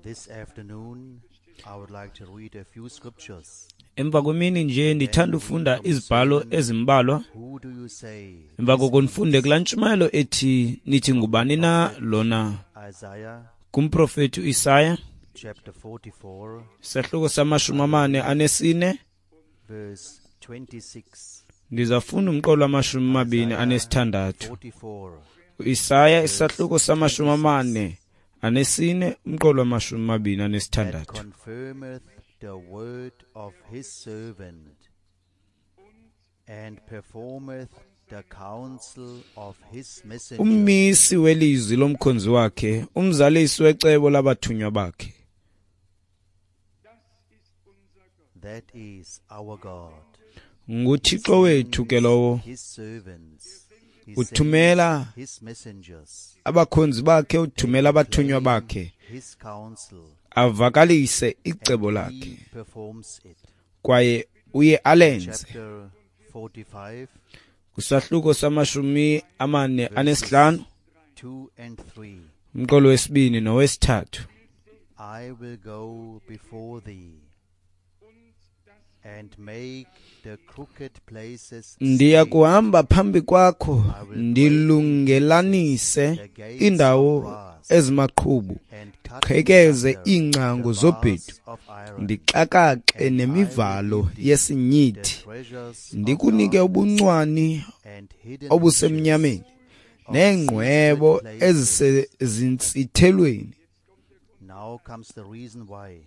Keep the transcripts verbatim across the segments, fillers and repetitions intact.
This afternoon, I would like to read a few scriptures. Emva kwemini nje ndithanda ufunda izibhalo ezimbalwa. Who do you say? Emva koko ndifunde kulaa ntshumayelo ethi nithi ngubani na lona Isaiah kumprofethi uIsaya chapter forty-four, isahluko samashumi amane anesine. verse twenty-six. Ndizafunda umqolo wamashumi amabini anesithandathu. forty-four. uIsaya isahluko samashumi amane anesine umqolo wamashumi amabini That anesithandathu. confirmeth the word of his servant, and performeth the counsel of his messenger. Ummisi welizwi lomkhonzi wakhe, umzalisi wecebo labathunywa bakhe. That is our God. NguThixo wethu ke lowo. His servants. He Uthumela sends his messengers. abakhonzi bakhe, uthumela abathunywa bakhe, His counsel. avakalise icebo And lakhe, he performs it. kwaye uye alenze. Chapter forty-five, Kwisahluko samashumi amane anesihlanu, two and three. umqolo wesibini nowesithathu. I will go before thee and make the crooked places Ndiya straight. kuhamba phambi kwakho, ndilungelanise iindawo ezimaqhubu, and cut qhekeze asunder iingcango the zobhedu, bars of iron, ndixakaxe and I will nemivalo give thee the yesinyithi, treasures of ndikunike darkness ubuncwane and hidden obusemnyameni, riches of neengcwebo secret places. ezisezintsithelweni. Now comes the reason why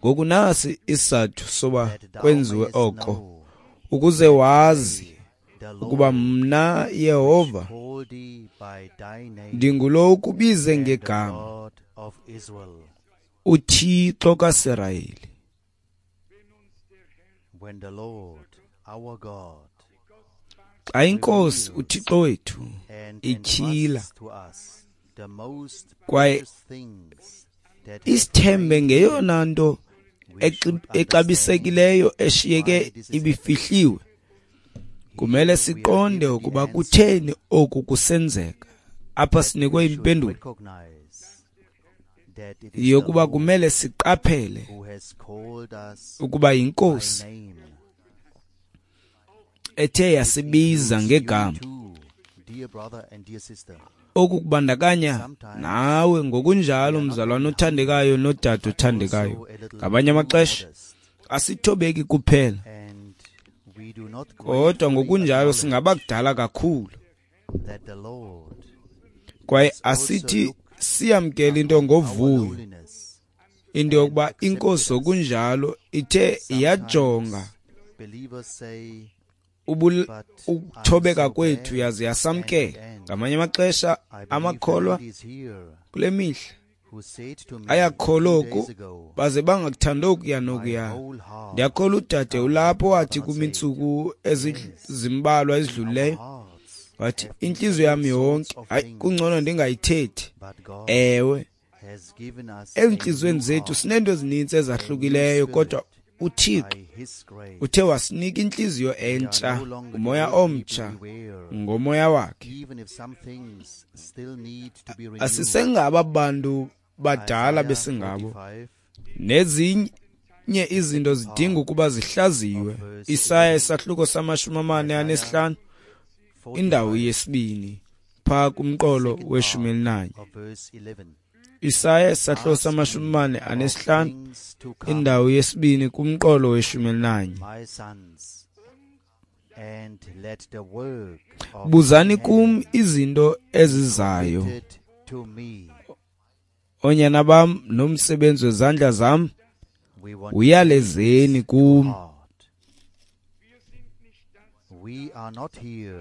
Ngoku nasi isizathu soba that thou kwenziwe mayest oko, know ukuze wazi the ukuba Lord mna Yehova called thee by thy name, ndingulo ukubize and the ngegama, God of Israel. uThixo kaSirayeli. When the Lord our God Xa iNkosi uThixo wethu and ityhila entrusts to us the most kwaye precious things that have isithembe remained ngeyona nto we exi- should exabisekileyo eshiyeke why this is ibifihliwe, kumele Here we are siqonde given the ukuba answer. kutheni oku kusenzeka. Apha sinikwe We should impendulo recognize that it is the yokuba Lord kumele siqaphele who has called us ukuba by yinkosi name. ethe yasibiza Includes you ngegama. too, dear brother and dear sister. Oku kubandakanya Sometimes nawe ngokunjalo, we are not mzalwana only othandekayo humble, nodade but othandekayo. also a little Ngamanye too amaxesha modest, asithobeki kuphela, and we do not kodwa gratefully ngokunjalo acknowledge singabakudala kakhulu, that the Lord kwaye has also asithi looked siyamkele into upon our ngovuyo, lowliness into yokuba and accepted inkosi us. ngokunjalo ithe Sometimes yajonga believers say, ubul- But I'm ukuthobeka so kwethu bad yaze yasamkela. and, and. Ngamanye amaxesha I believe the amakholwa ladies here kule mihla who said to me ayakholwa two oku days ago, baze bangakuthandi okuya my nokuya. whole heart Ndiyakholwa udade I ulapho wathi not kum say, iintsuku yes, ezimbalwa our ezidlulileyo, hearts wathi have been intliziyo all yam sorts yonke, of hayi things, kungcono ndingayithethi. but God Ewe, has given us a ezintliziyweni new zethu heart, sineento ezininzi a new ezahlukileyo, kodwa spirit uThixo by His grace. uthe wasinika intliziyo We are entsha, no longer the umoya old people omtsha we were, ngomoya wakhe. even if some things still need to be renewed. Asisengaba bantu badala Isaiah besingabo, forty-five, nezinye izinto zidinga ukuba zihlaziwe. of verse Isaya eleven. isahluko samashumi amane Isaiah anesihlanu indawo forty-five, yesibini phaa kumqolo second weshumi part elinanye. of verse eleven. Isaya isahluko Ask samashumi me amane of anesihlanu things to come, indawo yesibini kumqolo weshumi elinanye. my sons, and let the work of Buzani thy kum hands izinto be ezizayo, committed to me. oonyana bam, nomsebenzi wezandla zam We want to take uyalezeni this to kum. heart. We are not here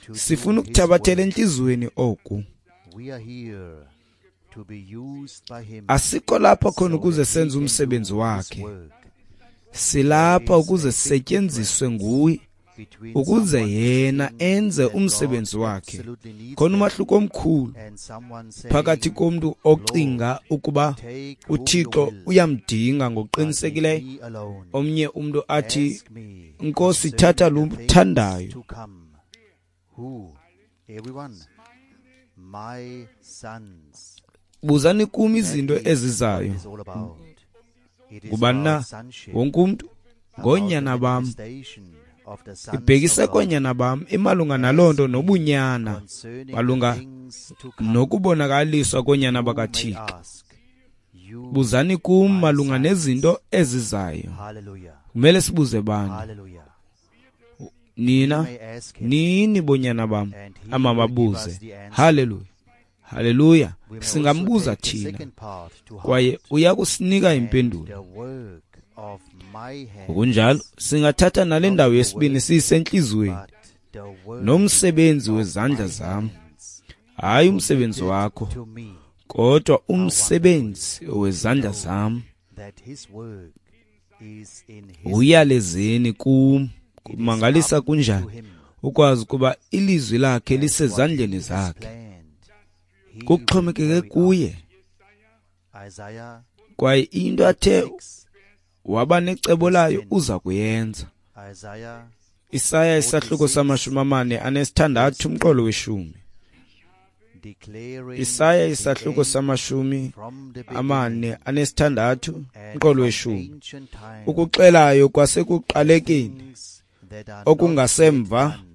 to do Sifuna his ukuthabathela work. entliziyweni oku. We are here to be used by him Asikho lapha khona so ukuze that we senze can umsebenzi do his wakhe, work. silapha There is ukuze a big sisetyenziswe difference nguye, between ukuze someone yena thinking enze that God umsebenzi wakhe. absolutely needs Khona them umahluko omkhulu and someone phakathi saying, komntu Lord, ocinga ukuba take whom you uThixo will, uyamdinga but leave ngokuqinisekileyo, me alone. omnye umntu athi, Ask me Nkosi, concerning thatha lo the things uthandayo. to come. Who? Everyone. My sons. Buzani kum That izinto is what ezizayo. it is all about. It is Ngubani na about sonship, wonke umntu about the ngoonyana bam. manifestation of the sons Ibhekise of God koonyana bam imalunga naloo nto nobunyana concerning the malunga things to come. nokubonakaliswa koonyana You may bakaThixo. ask, you Buzani kum my malunga sons. nezinto ezizayo. Hallelujah. Kumele sibuze bani? Hallelujah. Nina We may ask him, nini bonyana bam and he will give amababuze. us the answer. Haleluya. Haleluya. We may also Singambuza take the thina second part to heart, kwaye uya kusinika and impendulo. the work of my hands, Ngokunjalo singathatha nale ndawo yesibini siyisentliziyweni but the work nomsebenzi of wezandla my zam, hands hayi umsebenzi committed wakho, to me, kodwa umsebenzi wezandla zam. that his work is in his Uyalezeni kum. It is Kumangalisa up to kunjani him, ukwazi ukuba ilizwi lakhe and what lisezandleni he has zakhe. planned, he will Kuxhomekeke carry out. kuye. Isaiah Kwaye into athe six, waba necebo layo ten. uza kuyenza. Isaiah Isaya isahluko samashumi amane anesithandathu umqolo weshumi. declaring Isaya the isahluko end samashumi from the amane beginning anesithandathu and umqolo from weshumi. ancient times, Ukuxelayo kwasekuqalekeni things that are not okungasemva yet done,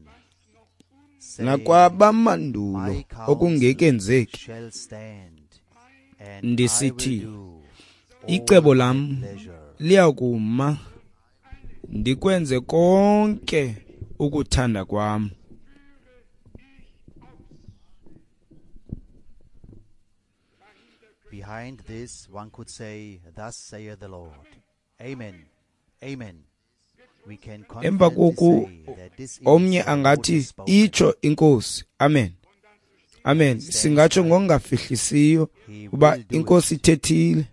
saying, nakwabamandulo My counsel okungekenzeki. shall stand, and I will Ndisithi, do all icebo my lam pleasure. liyakuma ndikwenze konke ukuthanda kwam. Behind this, one could say, Thus saith the Lord. Amen. Amen. We can Emva confidently koku say that this is omnye the Lord angathi has spoken. itsho inkosi. Amen. Amen. Singatsho ngokungafihlisiyo He uba will do inkosi it. ithethile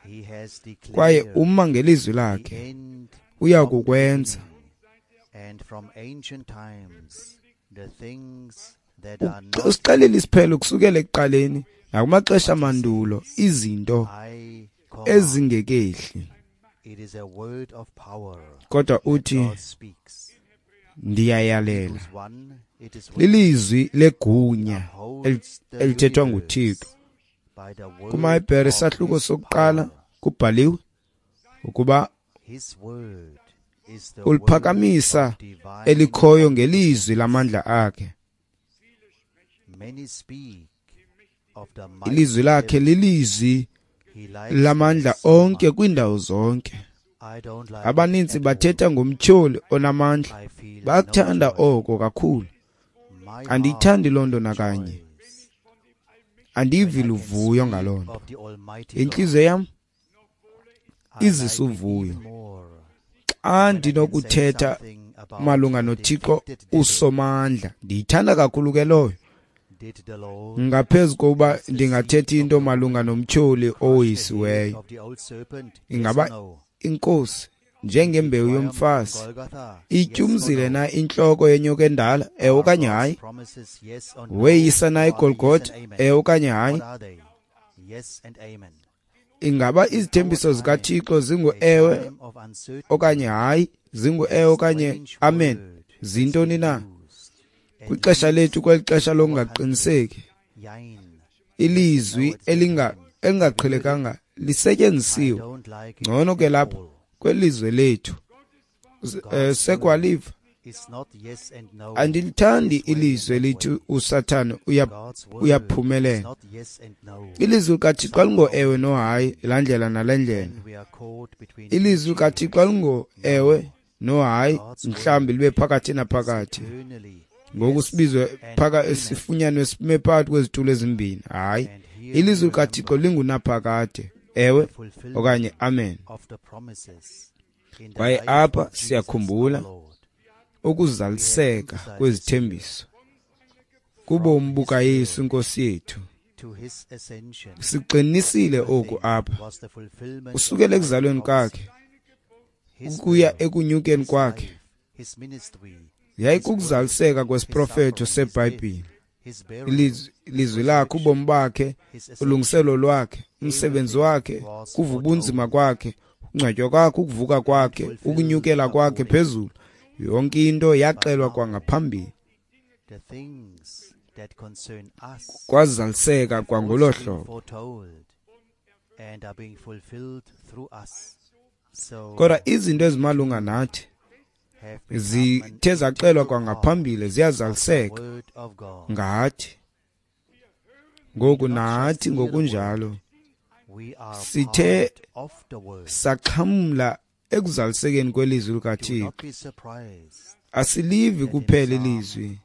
He has kwaye declared uma ngelizwi the lakhe end uya from the kukwenza. beginning, and from ancient times the things that are not Usixelela isiphelo kusukela ekuqaleni nakumaxesha amandulo izinto I command. ezingekehli. It is a word of power Kodwa that uthi God speaks. ndiyayalela. Hebrews one, it is written, Lilizwi legunya eli- upholds the elithethwa universe nguThixo. by the word KumaHebhere of isahluko his sokuqala power. kubhaliwe ukuba His word is the word uliphakamisa of divine elikhoyo ngelizwi lamandla akhe. Many speak of the mighty Ilizwi lakhe devil. lilizwi He likes lamandla it so onke much. kwiindawo zonke. I don't like it Abaninzi at all. bathetha ngomtyholi onamandla. I feel no Bayakuthanda joy. oko kakhulu. My heart Andiyithandi loo nto nakanye. rejoices Andivi when I can luvuyo speak ngaloo nto. of the Almighty God. Intliziyo yam I like izisa it uvuyo even more xa when I can say ndinokuthetha something about malunga the noThixo defeated devil. usomandla. Ndiyithanda kakhulu ke loyo Did the Lord, ngaphezu kokuba as the seed ndingathetha of into the malunga woman, nomtyholi crush the head owoyisiweyo. of the old serpent? Yes or Ingaba no? inkosi Did he njengembewu triumph on yomfazi Golgotha? Yes or ityumzile no? na intloko yenyoka endala? Ewe Are okanye God's hayi? promises yes or no, Weyisa na or are they yes iGolgotha? and amen? Ewe okanye hayi? What are they? Yes and amen. Ingaba In our izithembiso time, zikaThixo a zingu-ewe time of uncertainty, okanye hayi? Zingu-ewe a okanye strange amen? word has Zintoni been na? used and Kwixesha leads lethu, kweli xesha our country. lokungaqiniseki, Jein. Yes and no ilizwi at the same elinga time. Have you heard it? elingaqhelekanga I lisetyenzisiwe. don't like it Ngcono ke at lapha all. kwelizwe lethu S- eh, God's word sekwaliva. is not yes and no, Andilithandi this way and ilizwi that elithi way. uSathane uya God's word is uyaphumelela. not yes and no. Ilizwi likaThixo Somehow, alingo-ewe nohayi, laa ndlela nale ndlela. then we are caught between two Ilizwi likaThixo chairs. alingo-ewe No, nohayi, God's mhlawumbi word libe phakathi is naphakathi. eternally Ngoku yes sibizwe and phaka amen. sifunyanwe sime phakathi kwezitulo ezimbini. Hayi, And here we ilizwi likaThixo remember lingunaphakade, ewe the fulfillment okanye amen. of the promises in the Kwaye life apha of Jesus our siyakhumbula Lord. We have ukuzaliseka emphasized this here kwezithembiso from kubomi his bukaYesu birth inkosi yethu. to his ascension. Siqinisile oku Everything apha was the fulfillment of kusukela Bible ekuzalweni prophecy. kwakhe His ukuya birth, ekunyukeni his kwakhe life, his ministry, his work, yayikukuzaliseka his kwesiprofeto suffering, his death, seBhayibhile. his burial, Ilizwi his ilizwi lakhe, resurrection, ubomi bakhe, his ascension, ulungiselo lwakhe, umsebenzi everything wakhe, was kuva ubunzima foretold kwakhe, ukungcwatywa kwakhe, ukuvuka and kwakhe, fulfilled ukunyukela kwakhe accordingly. phezulu, yonke into But yaxelwa now kwangaphambili. the things kwazaliseka kwangolo hlobo. Kodwa izinto ezimalunga nathi zithe zaxelwa kwangaphambili ziyazaliseka ngathi. Ngoku nathi ngokunjalo sithe saxhamla ekuzalisekeni kwelizwi likaThixo. Asilivi kuphela ilizwi,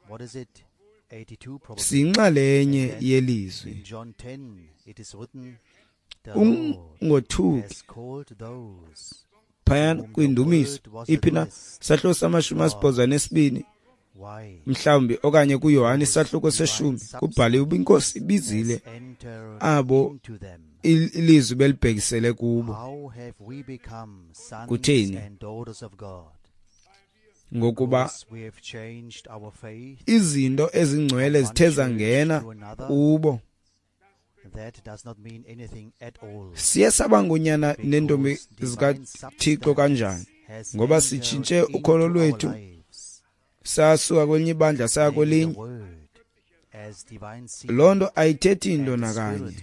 siyinxalenye yelizwi. Ungothuki phayana kwindumiso iphi na sahluko samashumi asibhozo anesibini mhlawumbi okanye kuYohane isahluko seshumi kubhaliwe uba iNkosi ibizile abo ilizwi belibhekisele kubo. Kutheni? Ngokuba izinto ezingcwele zithe zangena kubo. Siye saba ngonyana nentombi zikaThixo kanjani? Ngoba sitshintshe ukholo lwethu sasuka kwelinye ibandla saya kwelinye. Loo nto ayithethi nto nakanye,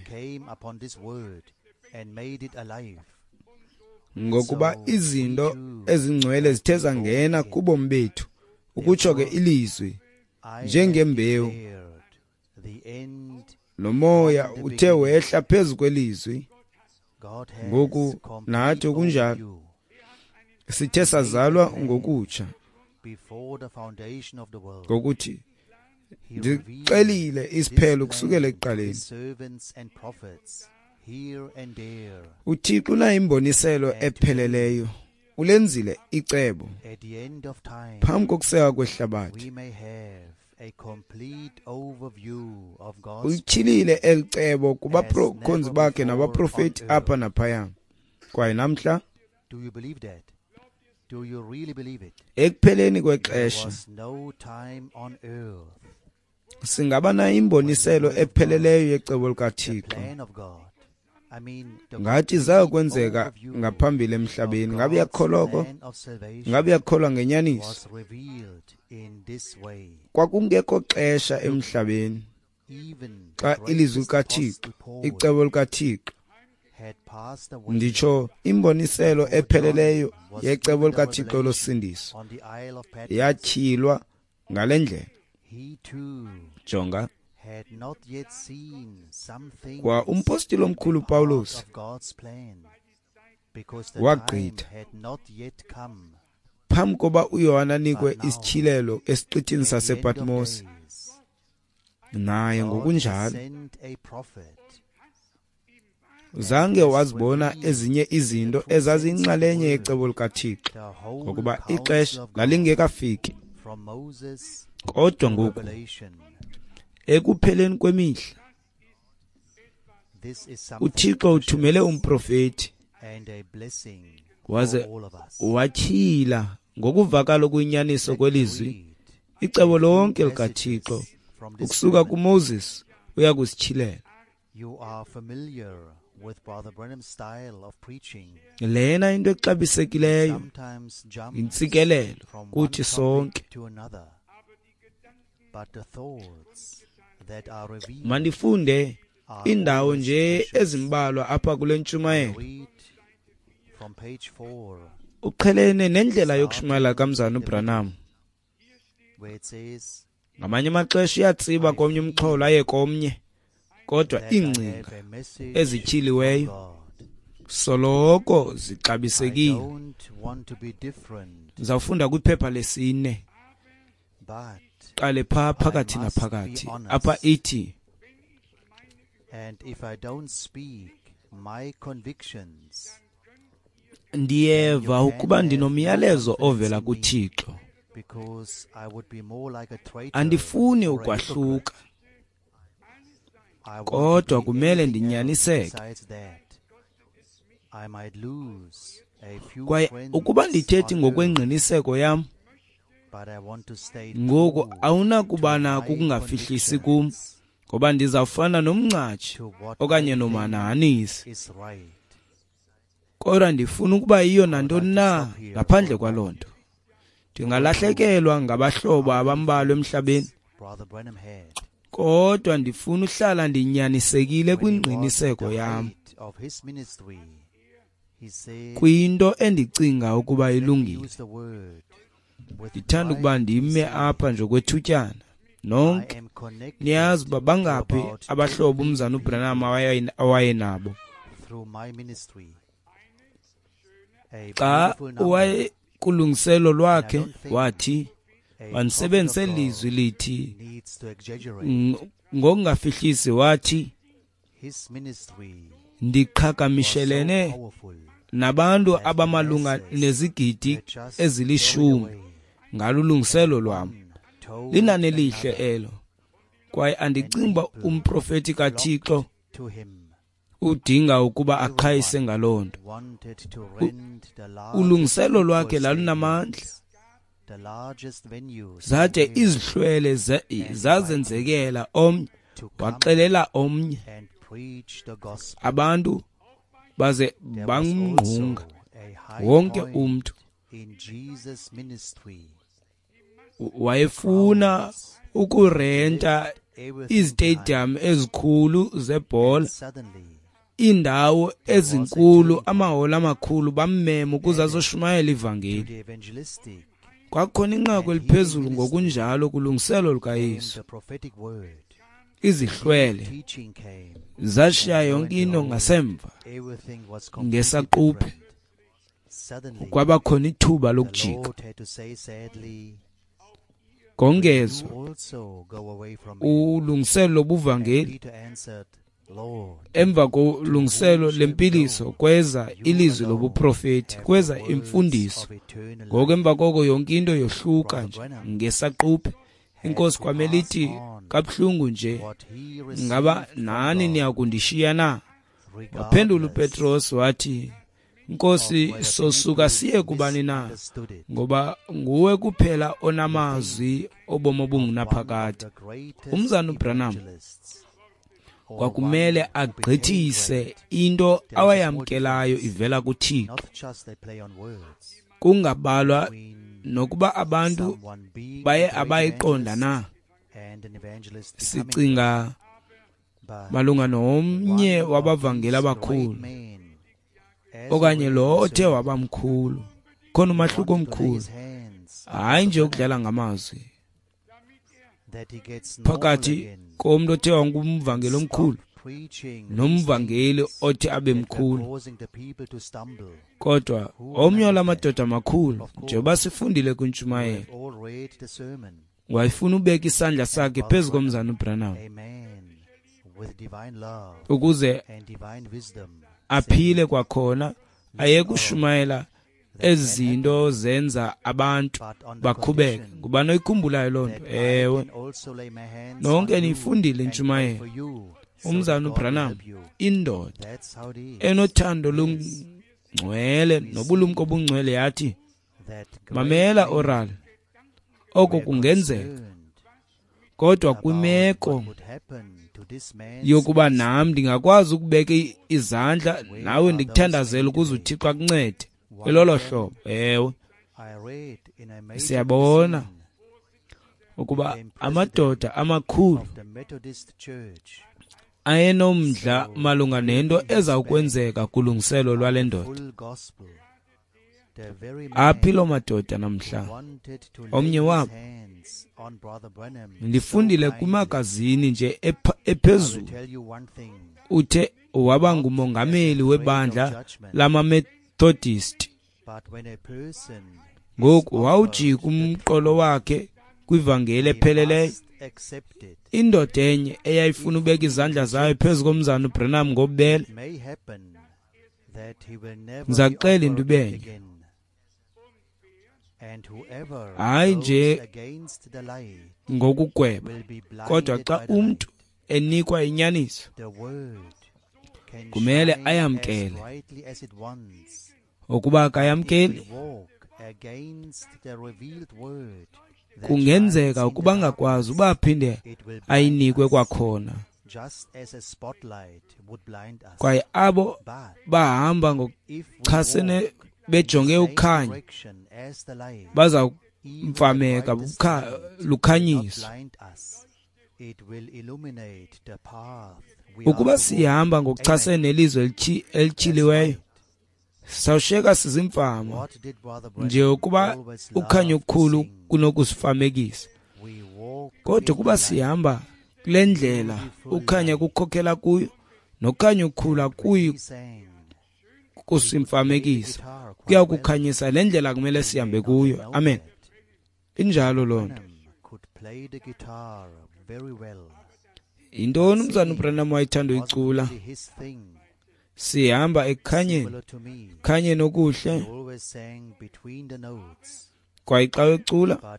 ngokuba izinto ezingcwele zithe zangena kubomi bethu, ukutsho ke ilizwi njengembewu. Lo moya uthe wehla phezu kwelizwi. Ngoku nathi okunjalo sithe sazalwa ngokutsha, ngokuthi ndixelile isiphelo kusukela ekuqaleni. UThixo unayo imboniselo epheleleyo, ulenzile icebo phambi kokuseka kwehlabathi. Uyityhilile eli cebo kubakhonzi bakhe nabaprofeti apha naphaya. Kwaye namhla ekupheleni kwexesha singaba nayo imboniselo epheleleyo yecebo likaThixo. Ngathi zayokwenzeka ngaphambili emhlabeni. Ngabe uyakholwa oko? Ngabe uyakholwa ngenyaniso? Kwakungekho xesha emhlabeni xa ilizwi likaThixo, icebo likaThixo, nditsho imboniselo epheleleyo yecebo likaThixo losindiso yatyhilwa ngale ndlela. Jonga, kwa umpostile omkhulu Pawulos wagqitha phambi koba uYohane anikwe isityhilelo esiqithini sasePatmos. Naye ngokunjalo zange wazibona ezinye izinto ezaziyinxalenye yecebo likaThixo, ngokuba ixesha lalingekafiki. Kodwa ngoku ekupheleni kwemihla uThixo uthumele umprofeti waze watyhila ngokuvakala okuyinyaniso kwelizwi icebo lonke likaThixo ukusuka kuMoses uya kusityhilela. Lena into exabisekileyo yintsikelelo kuthi sonke. Mandifunde indawo nje ezimbalwa apha kule ntshumayelo. Uqhelene nendlela yokushumayela kaMzana uBranham. Ngamanye amaxesha uyatsiba komnye umxholo aye komnye, kodwa iingcinga ezityhiliweyo soloko zixabisekile. Ndizawufunda kwiphepha lesine, qale phaa phakathi naphakathi. Apha ithi, ndiyeva ukuba ndinomyalezo ovela kuThixo. Andifuni ukwahluka, kodwa kumele ndinyaniseke. Kwaye ukuba ndithethi ngokwengqiniseko yam, ngoku awunakuba nako ukungafihlisi kum, ngoba ndizawufana nomngcatshi okanye nomhanahanisi. Kodwa ndifuna ukuba yiyo nantoni na ngaphandle kwaloo nto. Ndingalahlekelwa ngabahlobo abambalwa emhlabeni, Kodwa ndifuna uhlala ndinyanisekile kwingqiniseko yam, kwinto endicinga ukuba ilungile. Ndithanda ukuba ndime apha nje okwethutyana. Nonke niyazi uba bangaphi abahlobo umzana uBranham awayenabo. Xa wayekulungiselo lwakhe wathi, mandisebenzise lizwi lithi ngokungafihlisi, wathi ndiqhagamishelene nabantu abamalunga nezigidi ezilishumi ngalulungiselo lwam. Linani elihle elo, kwaye andicingi uba umprofeti kaThixo udinga ukuba aqhayise ngaloo nto. Ulungiselo lwakhe lalunamandla, zade izihlwele zazenzekela omnye waxelela omnye, abantu baze bamngqunga wonke umntu. Wayefuna ukurenta izitediyamu ezikhulu zebhola, iindawo ezinkulu, amaholo amakhulu, bammema ukuze azoshumayela ivangeli. Kwakukhona inqaku eliphezulu ngokunjalo kulungiselo lukaYesu. Izihlwele zashiya yonke into ngasemva ngesaquphe, kwabakhona ithuba lokujika. Kongezwa ulungiselo lobuvangeli, emva kolungiselo lempiliso kweza ilizwi lobuprofeti, kweza imfundiso. Ngoko emva koko yonke into yohluka nje ngesaquphe. Inkosi kwamele ithi kabuhlungu nje, ngaba nani niyakundishiya na? Waphendula uPetros wathi, Nkosi, sosuka siye kubani na? Ngoba nguwe kuphela onamazwi obomi obungunaphakade. Umzana uBranham kwakumele agqithise into awayamkelayo ivela kuThixo, kungabalwa nokuba abantu baye abayiqonda na. Sicinga malunga nomnye wabavangeli abakhulu okanye lo othe wabamkhulu. Khona umahluko omkhulu, hayi nje ukudlala ngamazwi, phakathi komntu othe wangumvangeli omkhulu nomvangeli othe abe mkhulu. Kodwa omnye walamadoda amakhulu, njengoba sifundile kwintshumayelo, wayefuna ubeka isandla sakhe phezu komzana uBranham ukuze aphile kwakhona, aye kushumayela ezinto zenza abantu bakhubeke. Ngubani oyikhumbulayo loo nto? Ewe, nonke niyifundile intshumayelo. Umzana uBranham, indoda enothando lungcwele nobulumko obungcwele, yathi, mamela Oral, oko kungenzeka, kodwa kwimeko yokuba nam ndingakwazi ukubeka izandla nawe ndikuthandazela ukuze uThixo akuncede. Elolo hlobo. Ewe, siyabona ukuba amadoda amakhulu ayenomdla malunga nento ezawukwenzeka kulungiselo lwale ndoda. Aphi loo madoda namhla? Omnye wabo ndifundile kwimagazini nje ephezulu, uthe waba ngumongameli webandla lamaMethodist. Ngoku wawujika umqolo wakhe kwivangeli epheleleyo. Indoda enye eyayifuna ubeka izandla zayo phezu komzana uBranham ngobubele. Ndizakuxela into ibenye, hayi nje ngokugweba, kodwa xa umntu enikwa inyaniso kumele ayamkele. Ukuba akayamkeli, kungenzeka ukuba angakwazi uba aphinde ayinikwe kwakhona. Kwaye abo bahamba ngokuchasene bejonge ukhanyo baza kumfameka lukhanyiso. Ukuba sihamba ngokuchasene nelizwi elityhiliweyo, sawushiyeka sizimfama nje ukuba ukhanyo okukhulu kunokusifamekisa. Kodwa ukuba sihamba kule ndlela ukhanya kukhokela kuyo, nokhanyo okukhulu akuyi kusimfamekisa, kuya kukhanyisa le ndlela kumele sihambe kuyo. Amen. Injalo loo nto. Yintoni umzana uBranham wayethanda uyicula? Sihamba ekukhanyeni, khanyeni okuhle. Kwaye xa ecula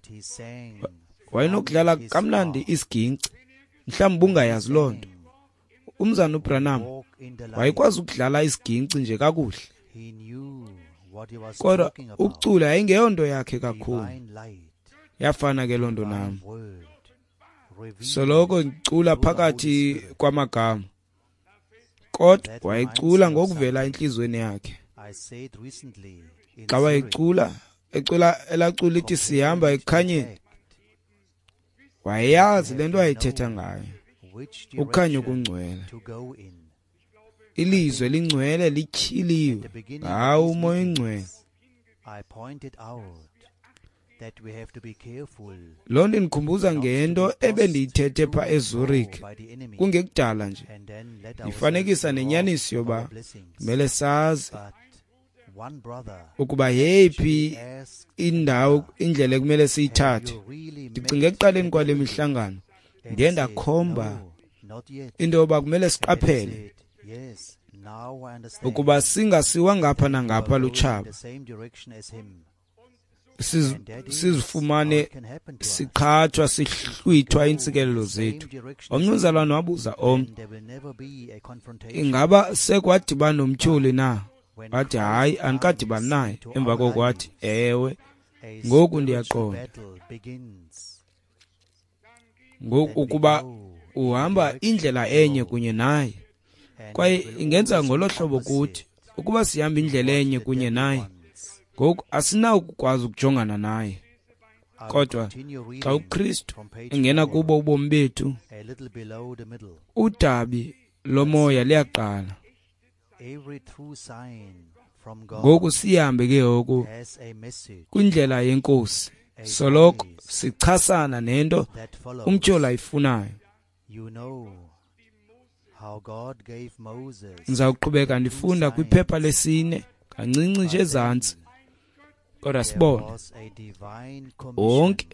wayenokudlala kamnandi isiginci, mhlawumbi ungayazi loo nto. Umzana uBranham wayekwazi ukudlala isiginci nje kakuhle, kodwa ukucula yayingeyonto yakhe kakhulu. Yafana ke loo nto nam, soloko ngicula phakathi kwamagama, kodwa wayecula ngokuvela entliziyweni yakhe. Xa wayecula ecula elacula ithi sihamba ekukhanyeni, wayeyazi le nto wayethetha ngayo. Ukhanyo kungcwele, ilizwe lingcwele lityhiliwe ngawo uMoya oNgcwele. Loo nto indikhumbuza ngento ebendiyithethe pha eZurich kungekudala nje, ndifanekisa nenyaniso yoba kumele sazi ukuba yeyiphi indawo, indlela ekumele siyithathe. Ndicinga ekuqaleni kwale mihlangano ndiye ndakhomba into yoba kumele siqaphele ukuba singasiwa ngapha nangapha lutshaba, sizifumane siqhathwa sihlwithwa iintsikelelo zethu. Omnye umzalwane wabuza omnye, ingaba sekwadibana nomtyholi na? Wathi hayi, andikadibani naye. Emva koko wathi ewe, ngoku ndiyaqonda. Ngoku ukuba uhamba indlela enye kunye naye, kwaye ingenza ngolo hlobo kuthi ukuba sihamba indlela enye kunye naye, ngoku asinawukwazi ukujongana naye. Kodwa xa uKristu engena kubo ubomi bethu, udabi lomoya liyaqala. Ngoku sihambe ke ngoku kwindlela yeNkosi, soloko sichasana nento umtyholi ayifunayo. Ndizawuqhubeka ndifunda kwiphepha lesine kancinci nje ezantsi, kodwa sibone wonke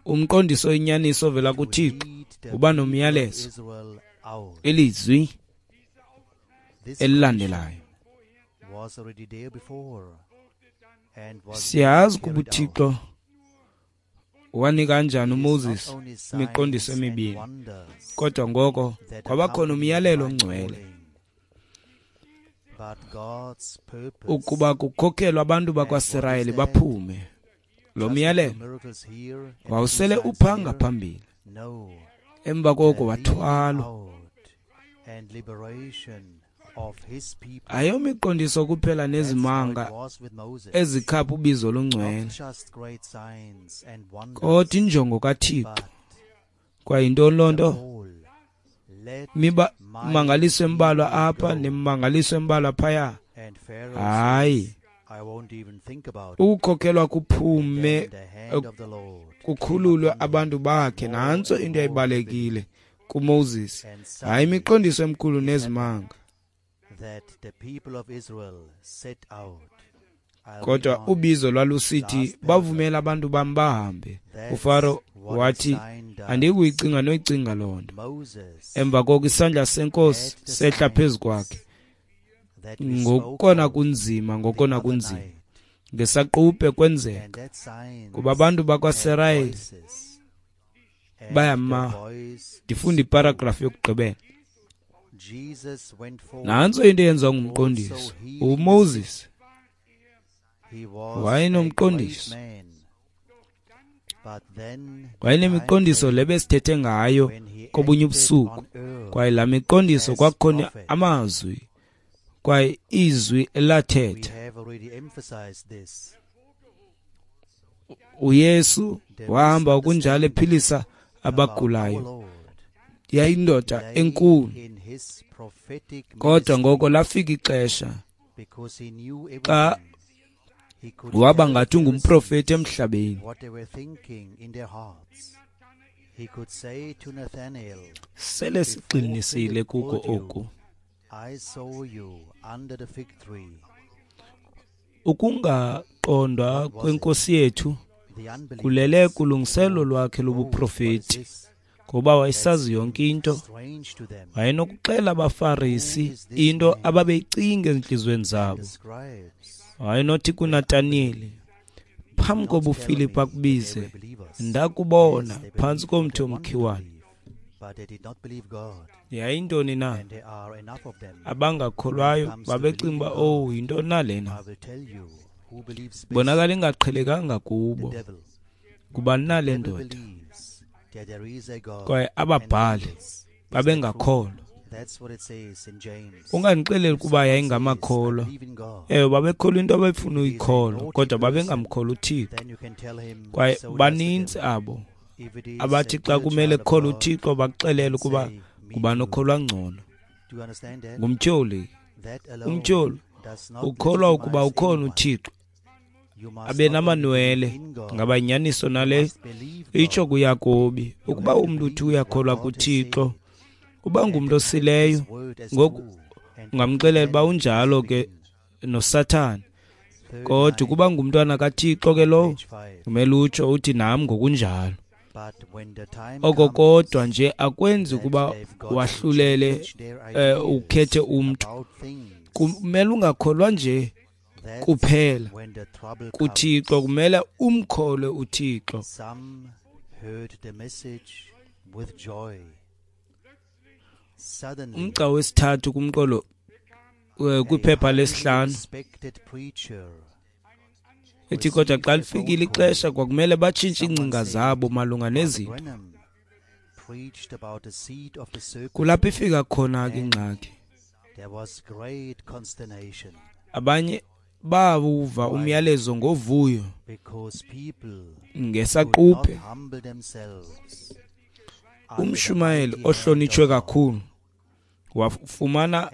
umqondiso oyinyaniso ovela kuThixo uba nomyalezo, ilizwi elilandelayo. Siyazi ukuba uThixo wanika kanjani uMoses imiqondiso emibini, kodwa ngoko kwabakhona umyalelo ongcwele ukuba kukhokhelwa abantu bakwaSirayeli baphume. Lo myalelo wawusele uphanga phambili, emva koko wathwalwa. Ayomiqondiso kuphela nezimanga ezikhapha ubizo olungcwele, kodwa injongo kaThixo. Kwaye yintoni loo nto? Mimangaliso embalwa apha nemimangaliso embalwa phaya. Hayi, ukukhokhelwa kuphume kukhululwe abantu bakhe. Nantso into eyayibalulekile kuMoses, hayi imiqondiso emikhulu nezimanga, kodwa ubizo lwalusithi bavumela abantu bam bahambe. UFaro wathi andikuyicinga noyicinga loo nto. Emva koko isandla senkosi sehla phezu kwakhe ngokona kunzima, ngokona kunzima ngesaquphe kwenzeka kuba abantu bakwaSirayeli bayama. Ndifunda iparagrafu yokugqibela. Nantso into eyenziwa ngumqondiso. uMoses wayenomqondiso, wayenemiqondiso le besithethe ngayo kobunye ubusuku, kwaye laa miqondiso kwakukhona amazwi, kwaye izwi elathetha. uYesu wahamba okunjalo ephilisa abagulayo, Yayindoda enkulu. Kodwa ngoko lafika ixesha xa waba ngathi ungumprofeti emhlabeni. Sele sigxinisile kuko oku. Ukungaqondwa kwenkosi yethu kulele kulungiselo lwakhe lobuprofeti, ngoba wayesazi yonke into. Wayenokuxela abaFarisi into ababeyicinga ezintliziyweni zabo. Wayenothi kuNataniyeli, phambi koba uFilipu akubize, ndakubona phantsi komthi omkhiwane. Yayintoni na? Abangakholwayo babecinga uba, oh, yintoni na lena? Bonakala ingaqhelekanga kubo. Ngubani na le ndoda? Kwaye ababhali babengakholwa. Ungandixeleli ukuba yayingamakholwa. Ewe, babekholwa into ababefuna uyikholwa, kodwa babengamkholwa uThixo. Kwaye baninzi abo abathi xa kumele kukholwa uThixo bakuxelele ukuba ngubani okholwa ngcono. Ngumtyholi. Umtyholi ukholwa ukuba ukhona uThixo, abe namanwele. Ngaba inyaniso nale? Itsho kuYakobi ukuba umntu uthi uyakholwa kuThixo, uba ngumntu osileyo. Ngoku ungamxelela uba unjalo ke noSathane, kodwa ukuba ngumntwana kaThixo ke lowo, kumele utsho uthi nam ngokunjalo. Oko kodwa nje akwenzi ukuba wahlulele, eh, ukhethe umntu. Kumele ungakholwa nje kuphela kuThixo, kumele umkholwe uThixo. Umgca wesithathu kumqolo kwiphepha lesihlanu ethi, kodwa xa lifikile ixesha kwakumele batshintshe iingcinga zabo malunga nezinto. Kulapho ifika khona ke ingxaki. Abanye bawuva umyalezo ngovuyo ngesaquphe. Umshumayeli ohlonitshwe kakhulu wafumana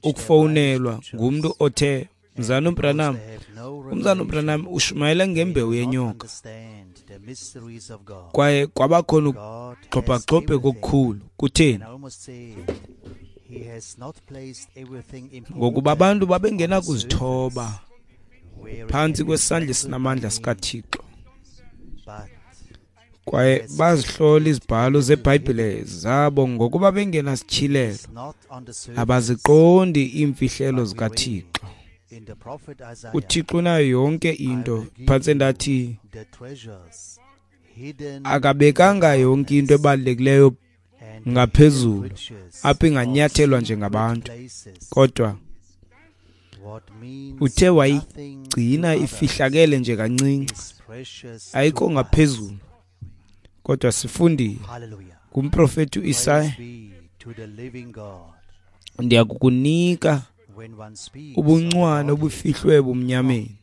ukufowunelwa ngumntu othe, Mzana uBranham, umzana uBranham ushumayele ngembewu yenyoka. Kwaye kwabakhona ukugxobhagxobhe kokukhulu. Kutheni? Ngokuba abantu babengenakuzithoba phantsi kwesandla esinamandla sikaThixo, kwaye bazihlola izibhalo zeBhayibhile zabo ngokuba bengenasityhilelo. Abaziqondi iimfihlelo zikaThixo. UThixo unayo yonke into. Phantse ndathi akabekanga yonke into ebalulekileyo ngaphezulu apho inganyathelwa njengabantu, kodwa uthe wayigcina ifihlakele nje kancinci, ayikho ngaphezulu. Kodwa sifundile kumprofeti uIsaya, ndiyakukunika ubuncwane obufihlwe ebumnyameni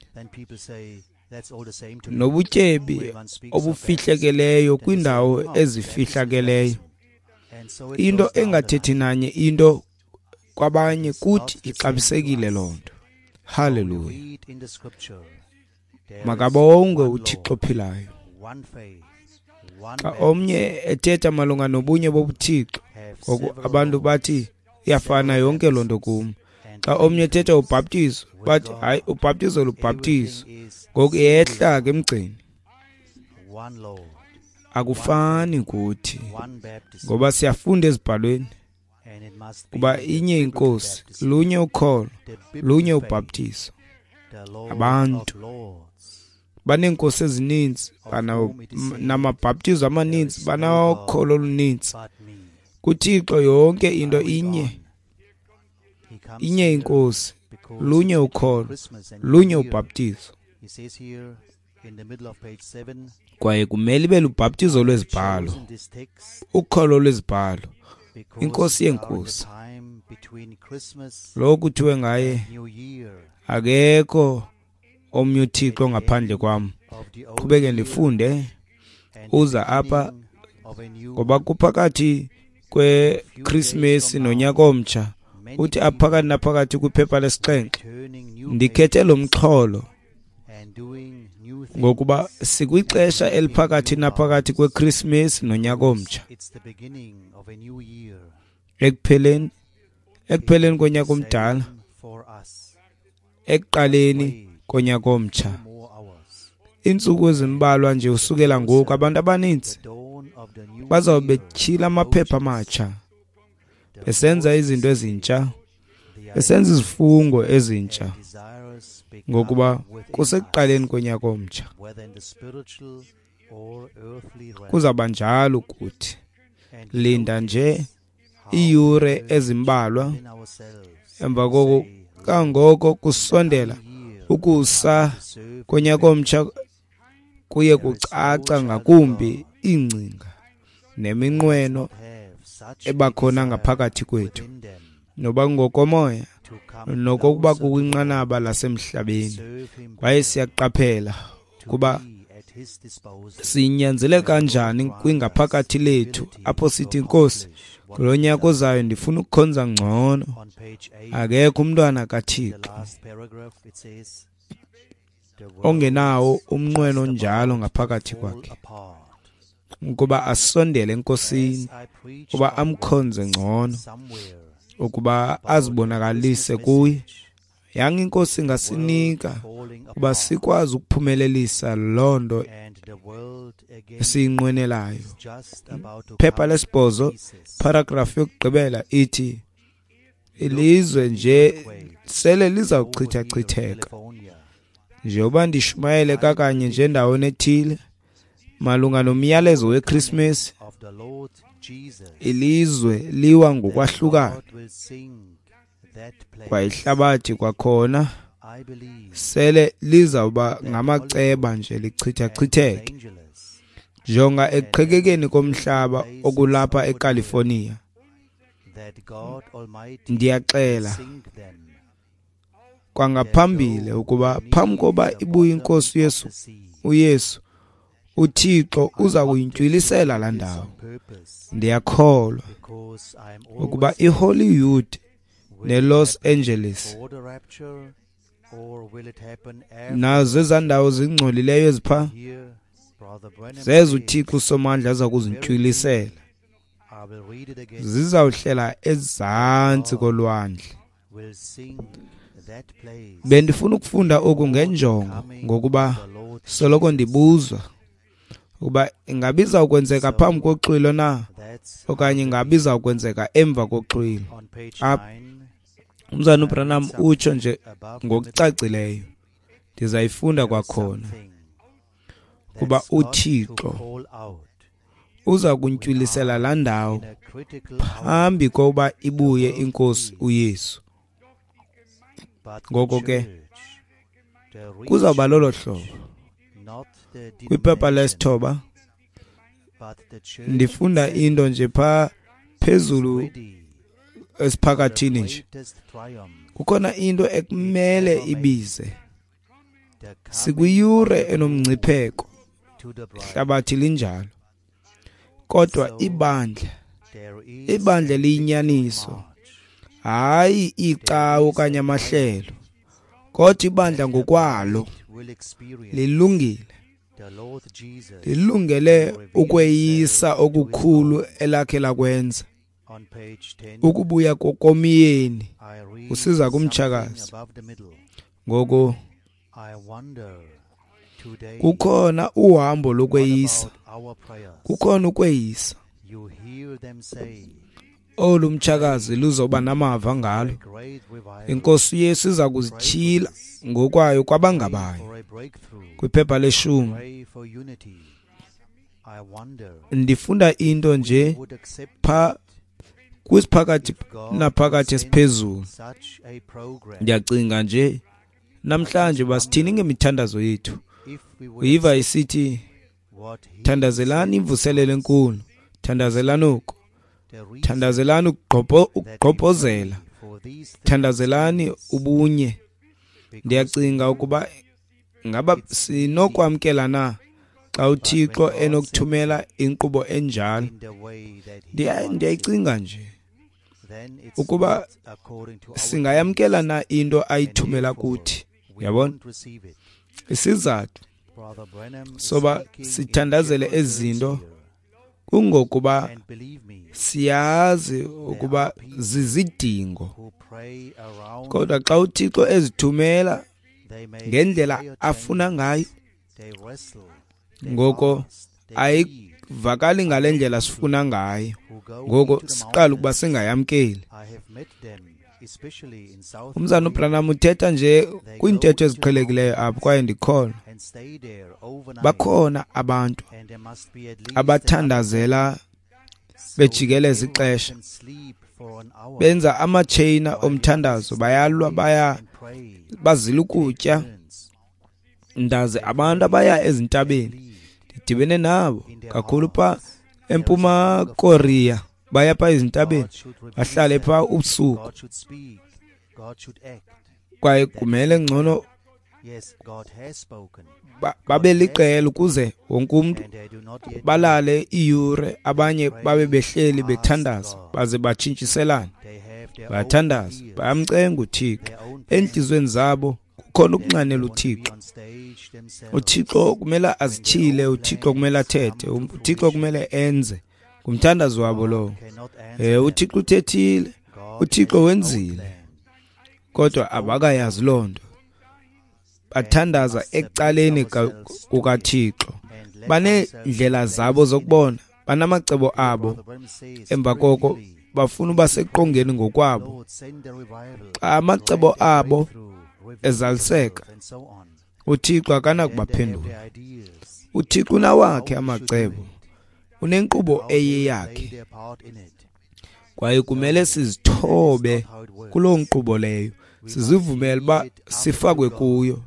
nobutyebi obufihlekeleyo kwindawo ezifihlakeleyo. Into engathethi nanye into kwabanye kuthi ixabisekile loo nto. Haleluya! Makabongwe uThixo ophilayo. Xa omnye ethetha malunga nobunye bobuThixo, ngoku abantu bathi iyafana yonke loo nto kum. Xa omnye ethetha ubhaptizo, bathi hayi, ubhaptizo lubhaptizo. Ngoku iyehla ke emgceni. Akufani kuthi, ngoba siyafunda ezibhalweni kuba inye inkosi, lunye ukholo, lunye ubhaptizo. Abantu baneenkosi ezininzi, banamabhaptizo amaninzi, banokholo oluninzi. KuThixo yonke into inye. Inye inkosi, lunye ukholo, lunye ubhaptizo. Kwaye kumele ibe lubhaptizo lwezibhalo, ukholo lwezibhalo, inkosi yenkosi. Lo kuthiwe ngaye, akekho omnye uThixo ngaphandle kwam. Qhubeke ndifunde, uza apha ngoba kuphakathi kweKrismesi nonyaka omtsha. Uthi aphakathi naphakathi kwiphepha lesixhenxe, ndikhethe lo mxholo ngokuba sikwixesha eliphakathi naphakathi kweKrismesi nonyaka omtsha. Ekupheleni ekupheleni konyaka omdala, ekuqaleni konyaka omtsha. Iintsuku ezimbalwa nje usukela ngoku, abantu abaninzi bazawube betyhila amaphepha amatsha, besenza izinto ezintsha, besenza izifungo ezintsha, ngokuba kusekuqaleni konyaka omtsha. Kuzawuba njalo kuthi. Linda nje iiyure ezimbalwa, emva koko kangoko kusondela ukusa konyaka omtsha, kuye kucaca ngakumbi iingcinga neminqweno ebakhona ngaphakathi kwethu, noba ngokomoya nokokuba kukwinqanaba lasemhlabeni. Kwaye siyaqaphela ukuba sinyanzele kanjani kwingaphakathi lethu apho sithi, Nkosi, kulo nyaka ozayo ndifuna ukukhonza ngcono. Akekho umntwana kaThixo ongenawo umnqweno onjalo ngaphakathi kwakhe, ukuba asondele eNkosini, ukuba amkhonze ngcono, ukuba azibonakalise kuye. Yanga iNkosi ingasinika ukuba sikwazi ukuphumelelisa loo nto esiyinqwenelayo. Phepha lesibhozo, paragraph yokugqibela ithi, ilizwe nje sele lizawuchithachitheka. Njengoba ndishumayele kakanye nje endaweni ethile malunga nomyalezo weKrismesi, ilizwe liwa ngokwahlukana, kwaye ihlabathi kwakhona sele lizawuba ngamaceba nje lichithachitheke. Jonga ekuqhekekeni komhlaba okulapha eCalifornia. Ndiyaxela kwangaphambili ukuba phambi koba ibuye iNkosi uYesu, uYesu uThixo uza kuyintywilisela laa ndawo. Ndiyakholwa ukuba iHollywood neLos Angeles nazo ezaa ndawo zingcolileyo ezipha, zezo uThixo uSomandla aza kuzintywilisela, zizawuhlela ezantsi kolwandle. Bendifuna ukufunda oku ngenjongo, ngokuba soloko ndibuzwa ukuba ingaba izawukwenzeka phambi koxwilo na, okanye ingaba izawukwenzeka emva koxwilo. Apha umzana uBranham utsho nje ngokucacileyo, ndizayifunda kwakhona, kuba uThixo uza kuntywilisela laa ndawo phambi kokuba ibuye iNkosi uYesu. Ngoko ke kuzawuba lolo hlobo. Kwiphepha lesithoba ndifunda into nje phaa phezulu esiphakathini nje. Kukhona into ekumele ibize. Sikwiyure enomngcipheko, ihlabathi linjalo, kodwa ibandla, ibandla liyinyaniso, hayi icawa okanye amahlelo, kodwa ibandla ngokwalo lilungile, lilungele ukweyisa okukhulu elakhe lakwenza. Ukubuya komyeni usiza kumtshakazi. Ngoko kukhona uhambo lokweyisa, kukhona ukweyisa olu mtshakazi luzoba namava ngalo. INkosi uYesu iza kuzityhila ngokwayo kwabangabayo. Kwiphepha leshumi ndifunda into nje pha kwisiphakathi naphakathi esiphezulu. Ndiyacinga nje namhlanje basithini ngemithandazo yethu. Uyiva isithi, thandazelani imvuselelo enkulu, thandazelani oku, thandazelani ukugqobhozela, thandazelani ubunye. Ndiyacinga ukuba ngaba sinokwamkela na Xa uThixo enokuthumela inkqubo enjalo, ndiyayicinga nje ukuba singayamkela na into ayithumela kuthi. Yabona? Isizathu soba sithandazele ezi zinto kungokuba siyazi ukuba zizidingo. Kodwa xa uThixo ezithumela ngendlela afuna ngayo, ngoko ayivakali ngale ndlela sifuna ngayo, ngoko siqala ukuba singayamkeli. Umzana uBranham uthetha nje kwiintetho eziqhelekileyo apho, kwaye ndikholwa bakhona abantu abathandazela bejikeleza ixesha, benza amatsheyina omthandazo, bayalwa, baya bazila ukutya. Ndazi abantu abaya ezintabeni, ndidibene nabo kakhulu pha eMpuma Korea, baya pha ezintabeni bahlale pha ubusuku, kwaye kumele ngcono babe liqela ukuze wonke umntu balale iiyure, abanye babe behleli bethandaza baze batshintshiselane. Bayathandaza, bayamcenga uThixo. Entliziyweni zabo kukhona ukunxanela uThixo. UThixo kumele azityhile, uThixo kumele athethe, uThixo kumele enze. Ngumthandazo wabo lowo. Eh, uThixo uthethile, uThixo wenzile, kodwa abakayazi loo nto. Bathandaza ecaleni kukaThixo. Baneendlela zabo zokubona, banamacebo abo. Emva koko bafuna uba seqongeni ngokwabo. Xa amacebo abo ezaliseka, uThixo akanakubaphendula. uThixo unawakhe amacebo, unenkqubo eyeyakhe, kwaye kumele sizithobe kuloo nkqubo leyo, sizivumele uba sifakwe kuyo.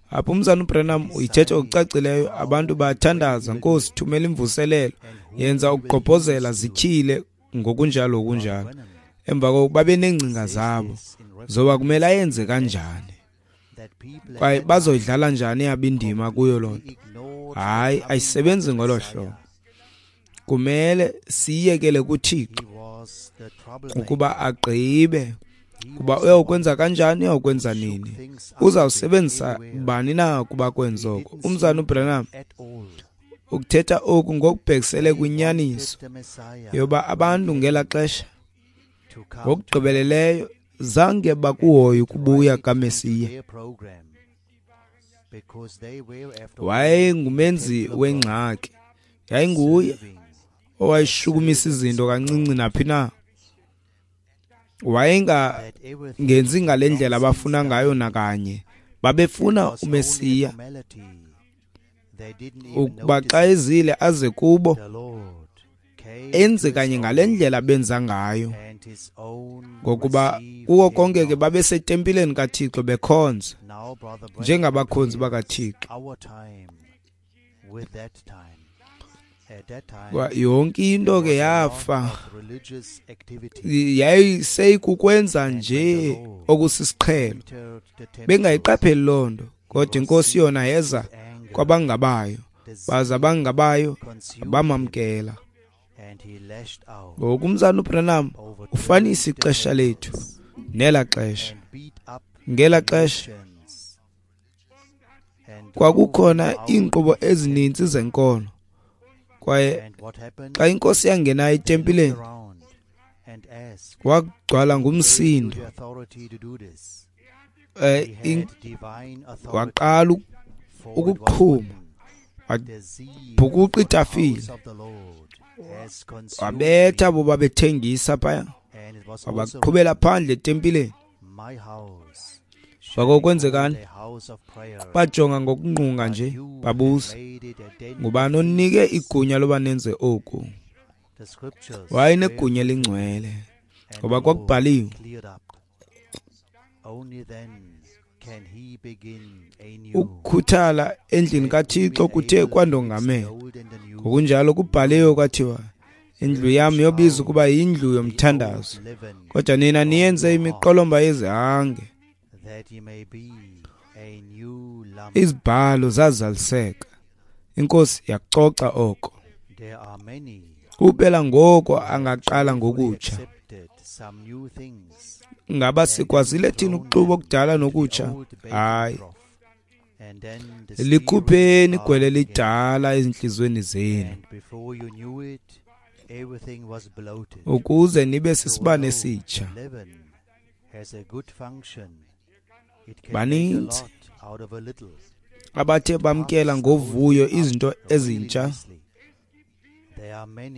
Apha umzana uBranham uyithetha ngokucacileyo, abantu bayathandaza, Nkosi thumela imvuselelo, yenza ukugqobhozela, zityhile ngokunjalo ngokunjalo. Emva koko babe neengcinga zabo zoba kumele ayenze kanjani, kwaye bazoyidlala njani yabo indima kuyo loo nto. Hayi, ayisebenzi ngolo hlobo. Kumele siyekele kuThixo ukuba agqibe kuba uyawukwenza kanjani, uyawukwenza nini, uzawusebenzisa bani na ukuba kwenze oko. Umzana uBranham ukuthetha oku ngokubhekisele kwinyaniso yoba abantu ngelaa xesha ngokugqibeleleyo zange bakuhoye ukubuya kaMesiya. Wayengumenzi wengxaki, yayinguye owayeshukumisa izinto kancinci naphi na. Wayengangenzi ngale ndlela abafuna ngayo nakanye. Babefuna uMesiya ukuba xa ezile aze kubo enze kanye ngale ndlela benza ngayo, ngokuba kuko konke ke babesetempileni kaThixo bekhonza njengabakhonzi bakaThixo. Yonke into ke yafa, yayiseyikukwenza nje okusisiqhelo, bengayiqapheli loo nto. Kodwa iNkosi yona yeza kwabangabayo, baza abangabayo bamamkela. Ngoku umzana uBranham ufanisa ixesha lethu nela xesha. Ngela xesha kwakukhona iinkqubo ezininzi zenkolo, kwaye xa iNkosi yangena etempileni wagcwala ngumsindo. Eh, waqala ukuqhuma, wabhukuqa itafile, wabetha abo babethengisa phaya, wabaqhubela phandle etempileni. Kwakwenzekani? Bajonga ngokungqunga nje, babuza, ngubani onike igunya loba nenze oku? Wayenegunya elingcwele, ngoba kwakubhaliwe. Ukukhuthala endlini kaThixo kuthe kwandongamela. Ngokunjalo kubhaliwe kwathiwa, indlu yam yobizwa ukuba yindlu yomthandazo, kodwa nina niyenze imiqolomba yezihange. Izibhalo zazaliseka. Inkosi yakucoca oko. Kuphela ngoko angaqala ngokutsha. Ngaba sikwazile thina ukuxuba okudala nokutsha? Hayi. Likhupheni igwele elidala ezintliziyweni zenu, ukuze nibe sisibane esitsha. Baninzi abathe bamkela ngovuyo izinto ezintsha,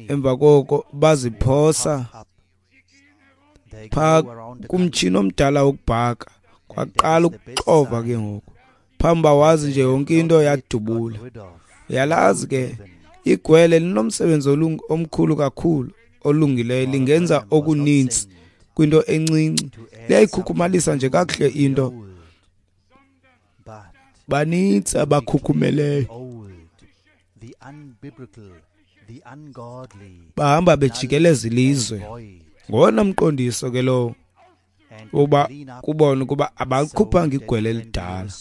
emva koko baziphosa phaa kumtshini omdala wokubhaka. Kwaqala ukuxova ke ngoku, phambi uba wazi nje yonke into yadubula. Uyalazi ke igwele linomsebenzi omkhulu kakhulu olungileyo, lingenza okuninzi kwinto encinci, liyayikhukhumalisa nje kakuhle into. Banintsi abakhukhumeleyo, bahamba bejikeleza ilizwe. Ngowona mqondiso ke lowo uba kubona ukuba abalikhuphanga igwele elidala.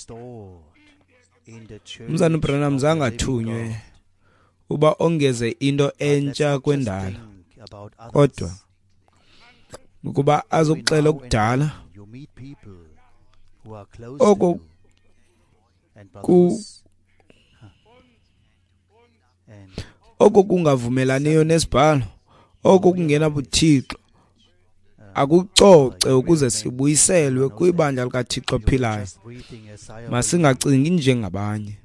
Umzana uBranham zange athunywe uba ongeze into entsha kwendala, kodwa ukuba azokuxela okudala oko ku oko kungavumelaniyo nesibhalo, oko kungenabuthixo, akucoce ukuze sibuyiselwe kwibandla likaThixo ophilayo. Masingacingi njengabanye.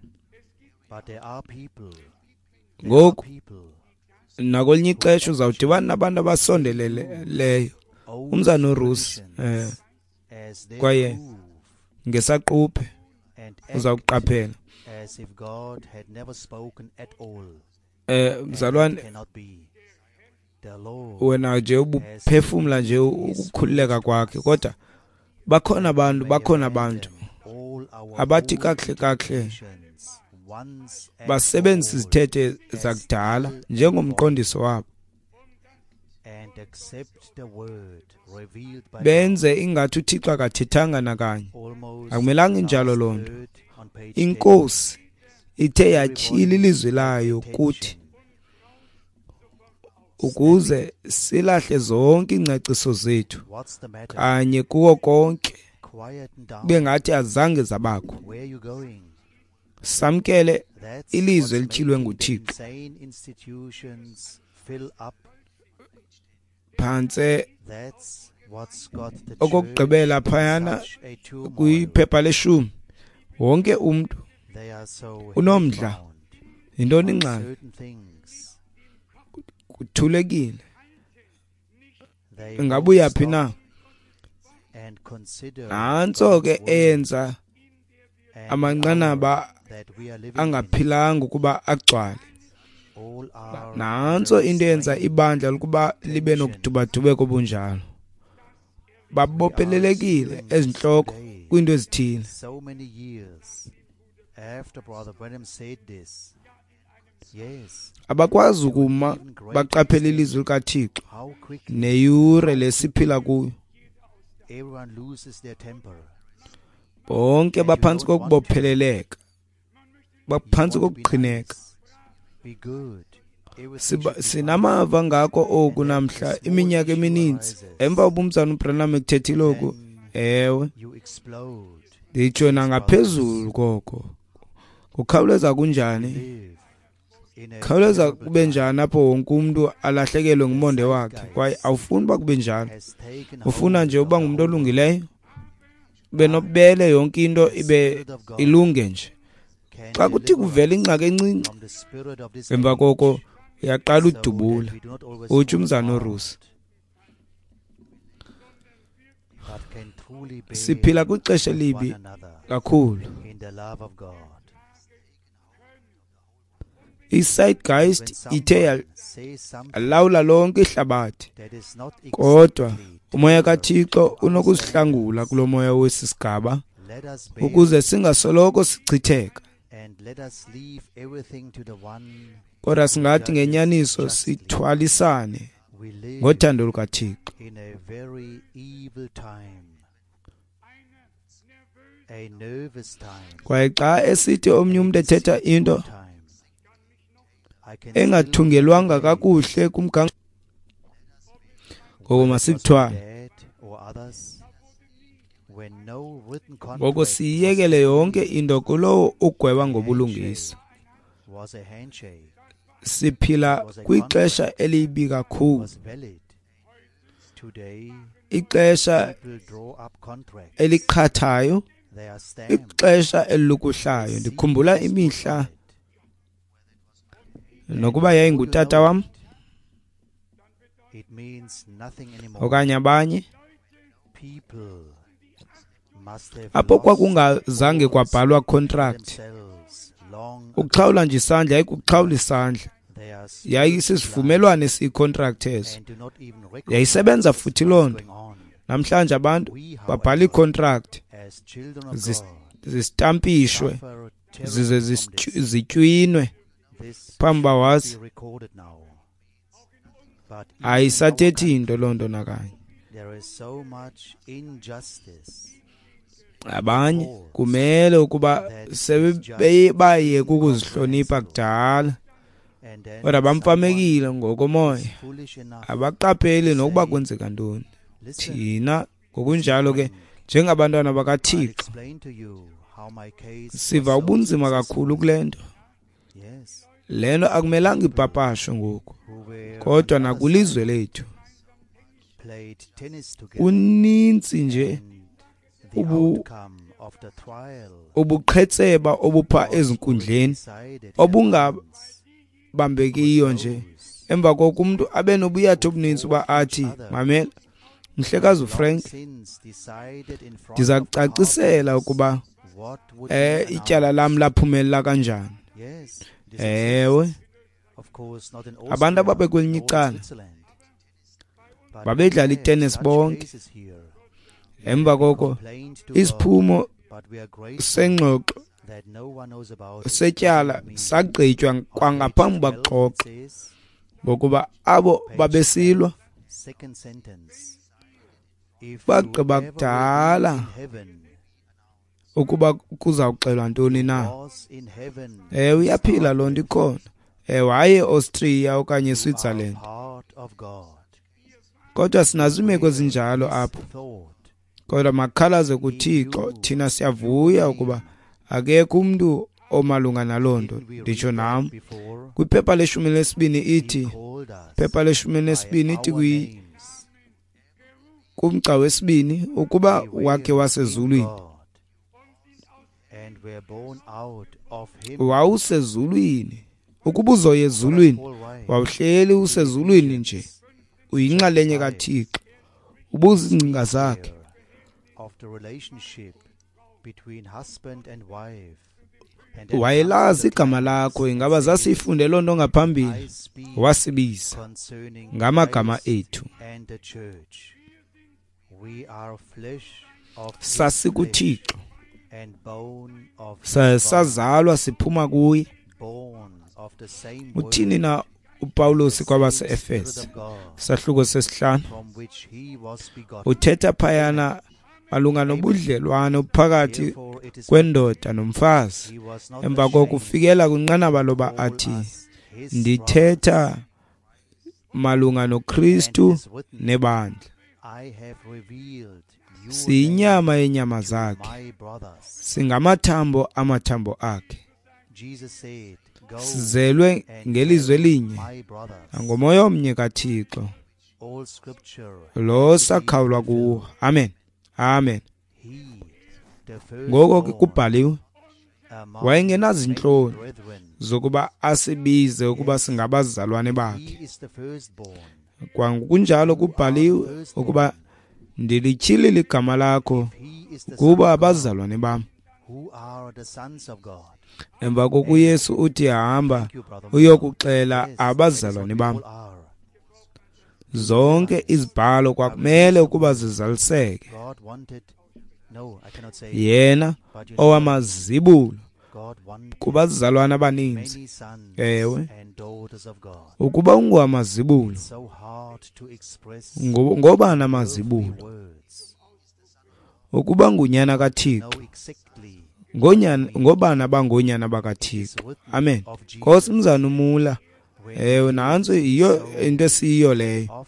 Ngoku nakwelinye ixesha uzawudibana nabantu abasondeleleyo, umzana uRusi, eh kwaye ngesaquphe uzawuqaphela, eh mzalwane, wena nje ubuphefumla nje ukukhululeka kwakhe, kodwa bakhona abantu, bakhona abantu abathi kakuhle kakuhle basebenzisa izithethe zakudala njengomqondiso wabo, benze ingathi uThixo akathethanga nakanye. Akumelanga injalo loo nto. Inkosi ithe yatyhila ilizwi layo kuthi ukuze silahle zonke iingcaciso zethu kanye kuwo konke, kube ngathi azange zabakho. Samkele ilizwi elityhilwe nguThixo. Phantse okokugqibela phayana kwiphepha leshumi, wonke umntu unomdla. Yintoni ingxaki? Kuthulekile. Ingabuya phi na? Nantso ke eyenza amanqanaba angaphilanga ukuba agcwale. Nantso into eyenza ibandla ukuba libe nokudubadubeka obunjalo. Babophelelekile ezintloko kwiinto ezithile. Abakwazi ukuma baqaphele ilizwi likaThixo neyure lesiphila kuyo. Bonke baphantsi kokubopheleleka, baphantsi kokuqhineka. Sinamava ngako oku namhla iminyaka emininzi emva ubumzana uBranham ekuthethile oku. Ewe, nditsho nangaphezulu koko. Kukhawuleza kunjani? Khawuleza kube njani apho wonke umntu alahlekelwe ngumonde wakhe? Kwaye awufuni uba kube njalo. Ufuna nje uba ngumntu olungileyo, ube nobubele, yonke into ibe ilunge nje. Xa kuthi kuvela ingxaki encinci, emva koko uyaqala udubula, utsho umzana uRusi. Siphila kwixesha elibi kakhulu. I-Zeitgeist ithe yalawula lonke ihlabathi, kodwa umoya kaThixo unokusihlangula kulo moya wesi sigaba ukuze singasoloko sichitheka. Kodwa singathi ngenyaniso sithwalisane ngothando lukaThixo. Kwaye xa esithi omnye umntu ethetha into engathungelwanga kakuhle kumgangatho. Ngoko masikuthwale. Ngoko siyiyekele yonke into kulowo ugweba ngobulungisa. Siphila kwixesha elibi kakhulu, ixesha eliqhathayo, ixesha elilukuhlayo. Ndikhumbula imihla nokuba yayingutata wam okanye abanye, apho kwakungazange kwabhalwa contract. Ukuxhawula nje isandla yayikuxhawula isandla, yayisisivumelwano esiyi-contract eso, yayisebenza futhi loo nto. Namhlanje abantu babhala ii-contract zisitampishwe zize zitywinwe phambi uba wazi. Ayisathethi into loo nto nakanye. Abanye kumele ukuba sebebaye kukuzihlonipha kudala, kodwa bamfamekile ngokomoya, abaqapheli nokuba kwenzeka ntoni. Thina ngokunjalo ke njengabantwana bakaThixo siva ubunzima kakhulu kule nto. Le nto akumelanga ipapashwe ngoku, kodwa nakwilizwe lethu kunintsi nje ubu ubuqhetseba obupha ezinkundleni obungabambekiyo nje. Emva koko umntu abe nobuyatha obuninzi uba athi, mamela mhlekazi uFrank, ndiza kucacisela ukuba eh ityala lam laphumelela kanjani. Ewe, abantu ababekwelinye icala babedlala itennis bonke. Emva koko isiphumo sengxoxo setyala sagqitywa kwangaphambi bakuxoxa, ngokuba abo babesilwa bagqiba kudala ukuba kuzawuxelwa ntoni na. Ewe, iyaphila loo nto ikhona. Ewe, hayi eAustria okanye eSwitzerland, kodwa sinazo iimeko ezinjalo apho. Kodwa makhalaze kuThixo, thina siyavuya ukuba akekho umntu omalunga naloo nto. Nditsho nam kwiphepha leshumi lesibini ithi, phepha leshumi nesibini ithi kumgca wesibini, ukuba wakhe wasezulwini, wawusezulwini. Ukuba uzoya ezulwini, wawuhleli usezulwini nje, uyinxalenye kaThixo, ubuza iingcinga zakhe. Wayelazi igama lakho. Ingaba zasiyifunde loo nto ngaphambili? Wasibiza ngamagama ethu. SasikuThixo, sazalwa siphuma kuye. Uthini na uPawulos kwabase-Efese sahluko sesihlanu? Uthetha phayana malunga nobudlelwano phakathi kwendoda nomfazi. Emva kokufikela kwinqanaba loba athi, ndithetha malunga noKristu nebandla. Siyinyama yenyama zakhe, singamathambo amathambo akhe, sizelwe ngelizwi elinye nangomoya omnye kaThixo lo sakhawulwa kuwo. Amen, amen. Ngoko ke kubhaliwe, wayengenazintloni zokuba asibize ukuba singabazalwane bakhe. Kwangokunjalo kubhaliwe ukuba ndilityhilile igama lakho kuba abazalwane bam. Emva koko uYesu uthi, hamba uyokuxela abazalwane bam. Zonke izibhalo kwakumele ukuba zizaliseke. Yena owamazibulo kubazalwana abaninzi. Ewe, ukuba ungowamazibulo, ngoba namazibulo, ukuba ngunyana kaThixo, ngonyana ngobana bangonyana bakaThixo. Amen. Nkosi mzana uMula, Ewe, nantso yiyo into esiyiyo leyo.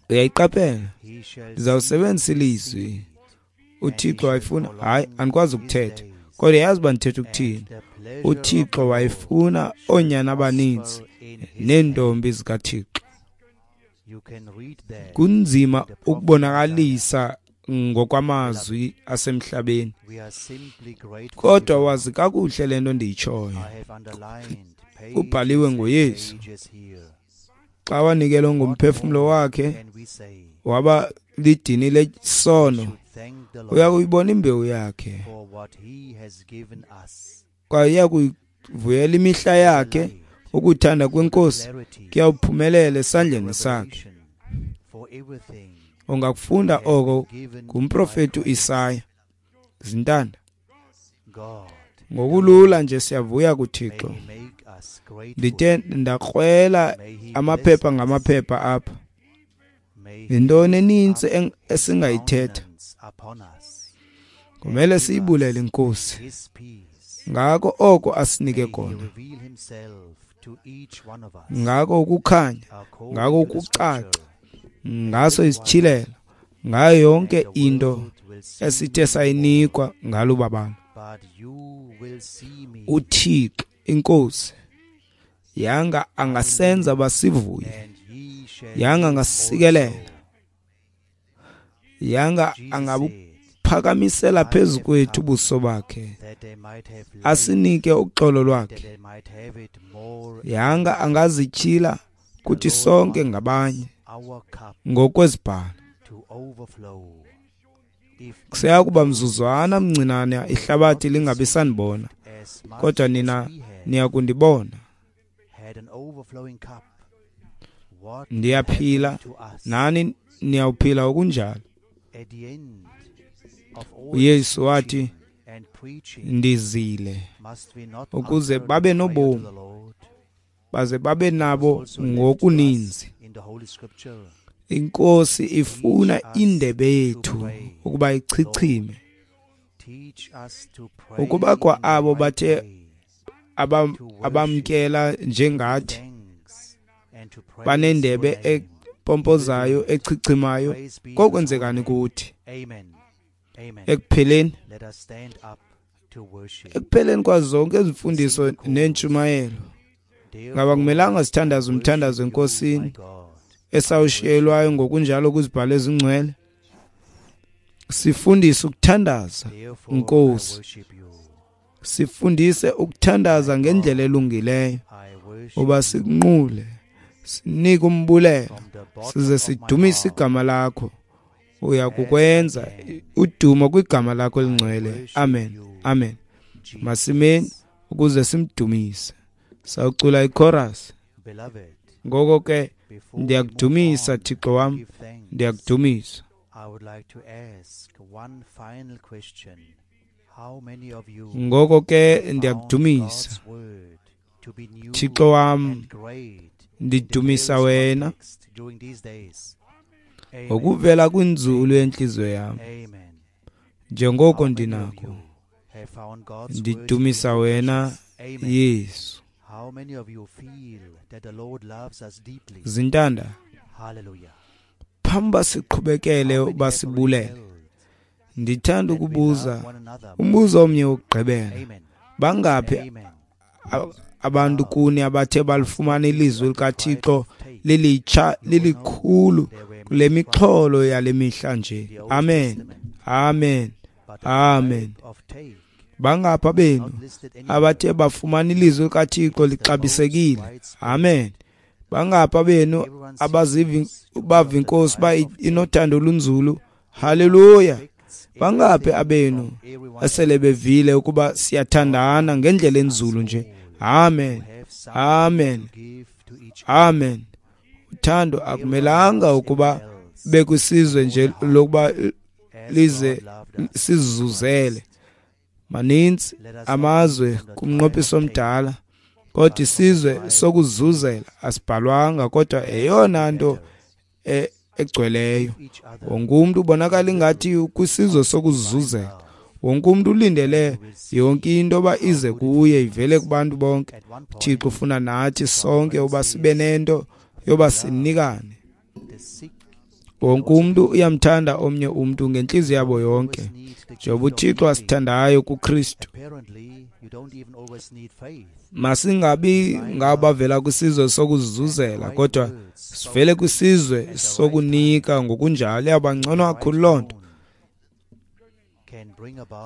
Uyayiqaphela, ndizawusebenzisa ilizwi. UThixo wayefuna, hayi, andikwazi ukuthetha, kodwa yazi uba ndithetha ukuthini. UThixo wayefuna oonyana abaninzi neentombi zikaThixo. Kunzima ukubonakalisa ngokwamazwi asemhlabeni, kodwa wazi kakuhle le nto ndiyitshoyo. Kubhaliwe ngoYesu, xa wanikelwa ngomphefumlo wakhe waba lidini lesono, uya kuyibona imbewu yakhe, kwaye uya kuyivuyela imihla yakhe. Ukuthanda kweNkosi kuyawuphumelela esandleni sakhe. Ungakufunda oko ngumprofeti uIsaya. Zintanda, ngokulula nje siyavuya kuThixo. Ndithe ndakrwela amaphepha ngamaphepha apha. Yintoni enintsi esingayithetha? Kumele siyibulele iNkosi ngako oko asinike kona, ngako ukukhanya, ngako ukucaca, ngaso isityhilelo, ngayo yonke into esithe sayinikwa ngalo babalo. UThixo iNkosi yanga angasenza basivuye, yanga angasikelela, yanga angabuphakamisela phezu kwethu ubuso bakhe, asinike uxolo lwakhe. Yanga angazityhila kuthi sonke ngabanye ngokwezibhalo. Kuseya kuba mzuzwana mncinane ihlabathi lingabi sanibona, kodwa nina niya kundibona. Ndiyaphila, nani niyawuphila okunjalo. UYesu wathi, ndizile ukuze babe nobomi, baze babe nabo ngokuninzi. INkosi ifuna indebe yethu ukuba ichichime, ukuba kwa abo bathe abamkela njengathi banendebe empompozayo echichimayo, kokwenzekani kuthi? Ekupheleni ekupheleni kwazo zonke izimfundiso nentshumayelo, ngaba kumelanga sithandaze umthandazo eNkosini esawushiyelwayo ngokunjalo kwizibhalo ezingcwele? Sifundise ukuthandaza Nkosi, sifundise ukuthandaza ngendlela elungileyo, uba sikunqule, sinike umbulelo, size sidumise igama lakho. Uya kukwenza udumo kwigama lakho elingcwele. Amen, amen. Masimeni ukuze simdumise. Sawucula ichorus. Ngoko ke ndiyakudumisa Thixo wam, ndiyakudumisa. Ngoko ke ndiyakudumisa Thixo wam, ndidumisa wena ngokuvela kwinzulu yenhliziyo yam, njengoko ndinako. Ndidumisa wena Yesu. Zintanda, phambi siqhubekele uba sibulele, ndithanda ukubuza umbuzo omnye wokugqibela. Bangaphi abantu kuni abathe balifumana ilizwi likaThixo lilitsha lilikhulu kule mixholo yale mihla nje? Amen, amen, amen. Bangapha benu abathe bafumana ilizwi likaThixo lixabisekile? Amen. Bangapha benu abaziva bava iNkosi ba inothando olunzulu? Haleluya. Bangaphi abenu esele bevile ukuba siyathandana ngendlela enzulu nje? Amen, amen, amen. Uthando akumelanga ukuba bekwisizwe nje lokuba lize sizuzele. Maninzi amazwe kumnqophiso omdala, kodwa isizwe sokuzuzela asibhalwanga, kodwa eyona nto egcweleyo. Wonke umuntu ubonakala ingathi kwisizwe sokuzuzela. Wonke umntu ulindele yonke into yoba ize kuye, ivele kubantu bonke. UThixo ufuna nathi sonke uba sibe nento yoba sinikane. Wonke umntu uyamthanda omnye umntu ngentliziyo yabo yonke, njengoba uThixo asithandayo kuKristu. Masingabi ngabavela kwisizwe sokuzuzela, kodwa sivele kwisizwe sokunika ngokunjalo. Iyawuba ngcono kakhulu loo nto.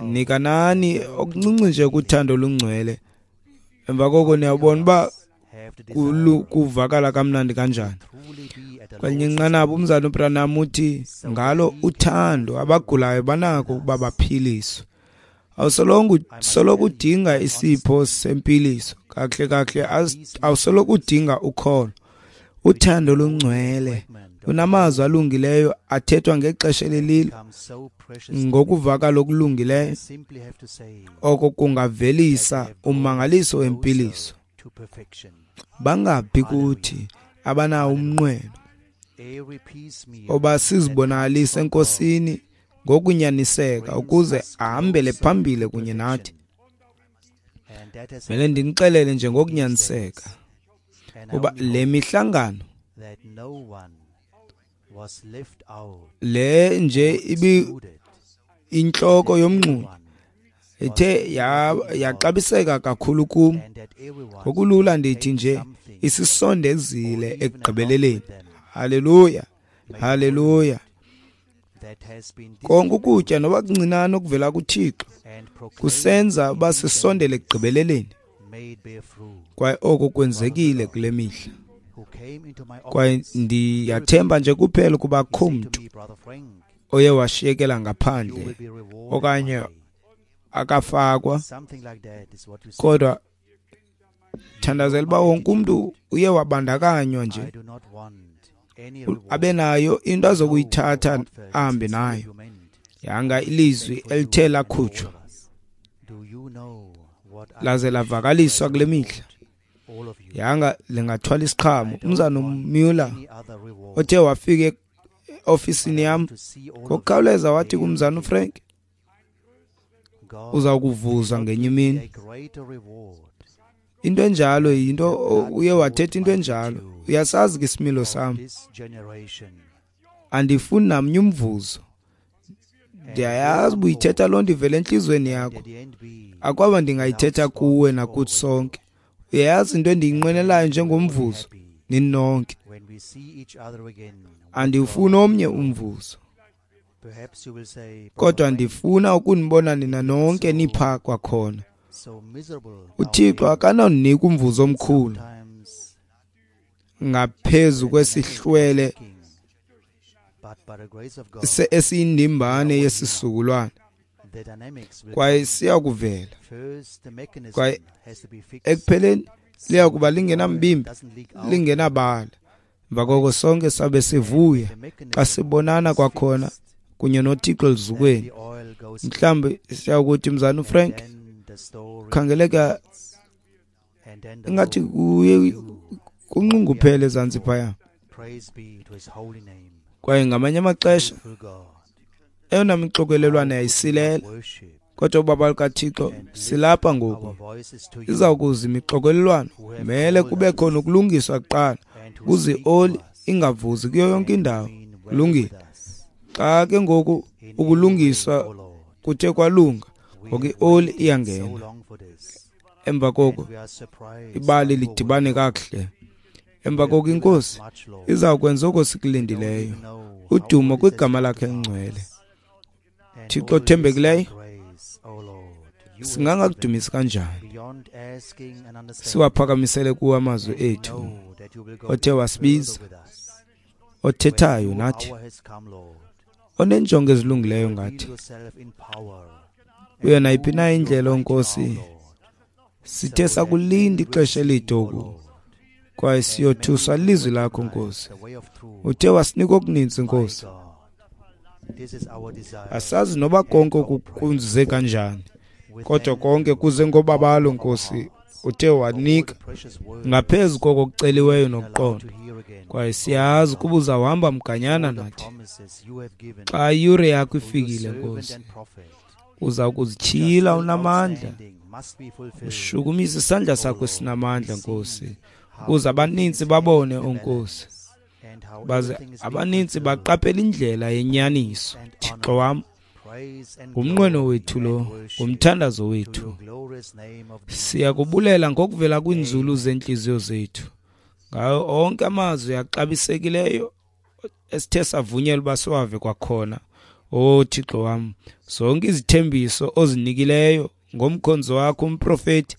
Nikanani okuncinci nje kuthando olungcwele, emva koko niyabona uba kuvakala kamnandi kanjani. Kwelinye inqanaba umzalwana uBranham uthi ngalo uthando abagulayo banako ukuba baphiliswe. Awusoloko soloko udinga isipho sempiliso, kakuhle kakuhle awusoloko udinga ukholo. Uthando olungcwele lunamazwi alungileyo athethwa ngexesha elililo ngokuvakala okulungileyo, oko kungavelisa ummangaliso wempiliso. Bangaphi kuthi abanawo umnqweno oba sizibonakalise eNkosini ngokunyaniseka ukuze ahambele phambili kunye nathi? Mele ndinixelele nje ngokunyaniseka uba le mihlangano le nje ibi intloko yomnxunya ithe yaxabiseka kakhulu kum. Ngokulula ndithi nje isisondezile ekugqibeleleni. Haleluya, haleluya. Konke ukutya noba kuncinane okuvela kuThixo kusenza uba sisondele ekugqibeleleni, kwaye oko kwenzekile kule mihla. Kwaye ndiyathemba nje kuphela ukuba akho mntu oye washiyekela ngaphandle okanye akafakwa, kodwa thandazela uba wonke umntu uye wabandakanywa nje, abe nayo into azokuyithatha ahambe nayo. Yanga ilizwi elithe lakhutshwa laze lavakaliswa kule mihla, yanga lingathwala isiqhamo. Umzana Muller othe wafika eofisini yam ngokukhawuleza wathi kumzana uFrank, uza kuvuzwa ngenye imini. Into enjalo yinto uye wathetha into enjalo. Uyasazi ke isimilo sam, andifuni namnye umvuzo. Ndiyayazi uba uyithetha loo nto ivela entliziyweni yakho, akwaba ndingayithetha kuwe nakuthi sonke. Uyayazi into endiyinqwenelayo njengomvuzo nini nonke. Andiwufuni omnye umvuzo, kodwa ndifuna ukunibona nina nonke nipha kwakhona. UThixo akanawunika umvuzo omkhulu ngaphezu kwesihlwele esiyindimbane yesisukulwana, kwaye siyakuvela, kwaye ekupheleni liyakuba lingenambimbi lingenabala. Emva koko sonke sabe sivuya xa sibonana kwakhona kunye noThixo elizukweni. Mhlawumbi siyakuthi mzana uFrank, khangeleka ingathi kuye kunxunguphele ezantsi phaya. Kwaye ngamanye amaxesha eyona mixokelelwane yayisilela, kodwa ubaba lukaThixo silapha ngoku. Iza kuza imixokelelwano, mele kube khona ukulungiswa kuqala ukuze ioli ingavuzi kuyo yonke indawo. Kulungile. Xa ke ngoku ukulungiswa kuthe kwalunga, ngoku ioli iyangena. Emva koko ibali lidibane kakuhle. Emva koko iNkosi iza kwenza oko sikulindileyo. Udumo kwigama lakhe elingcwele. Thixo othembekileyo, singangakudumisi kanjani siwaphakamisele kuwe amazwi ethu, othe wasibiza, othethayo nathi, onenjongo ezilungileyo ngathi. Kuyo nayiphi na indlela, Nkosi, sithe sakulinda ixesha elide oku, kwaye siyothuswa lizwi lakho, Nkosi. Uthe wasinika okuninzi, Nkosi. Asazi noba konke kuze kanjani, kodwa konke kuze ngobabalo, Nkosi. Uthe wanika ngaphezu koko kuceliweyo nokuqonda, kwaye siyazi ukuba uzawuhamba mganyana nathi xa iyure yakho ifikile, Nkosi. Uza kuzityhila unamandla, ushukumise isandla sakho esinamandla, Nkosi, ukuze abaninzi babone, o Nkosi, baze abaninzi baqaphele indlela yenyaniso. Thixo wam, ngumnqweno wethu lo, ngumthandazo wethu. Siyakubulela ngokuvela kwiinzulu zeentliziyo zethu ngawo onke amazwi axabisekileyo esithe savunyelwa uba siwave kwakhona. O Thixo wam, zonke izithembiso ozinikileyo ngomkhonzi wakho umprofeti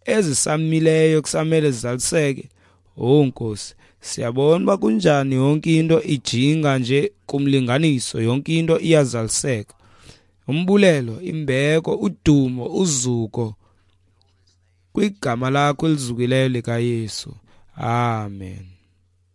ezisamileyo kusamele zizaliseke. O Nkosi, siyabona uba kunjani yonke into ijinga nje kumlinganiso, yonke into iyazaliseka. Umbulelo, imbeko, udumo, uzuko kwigama lakho elizukileyo likaYesu. Amen.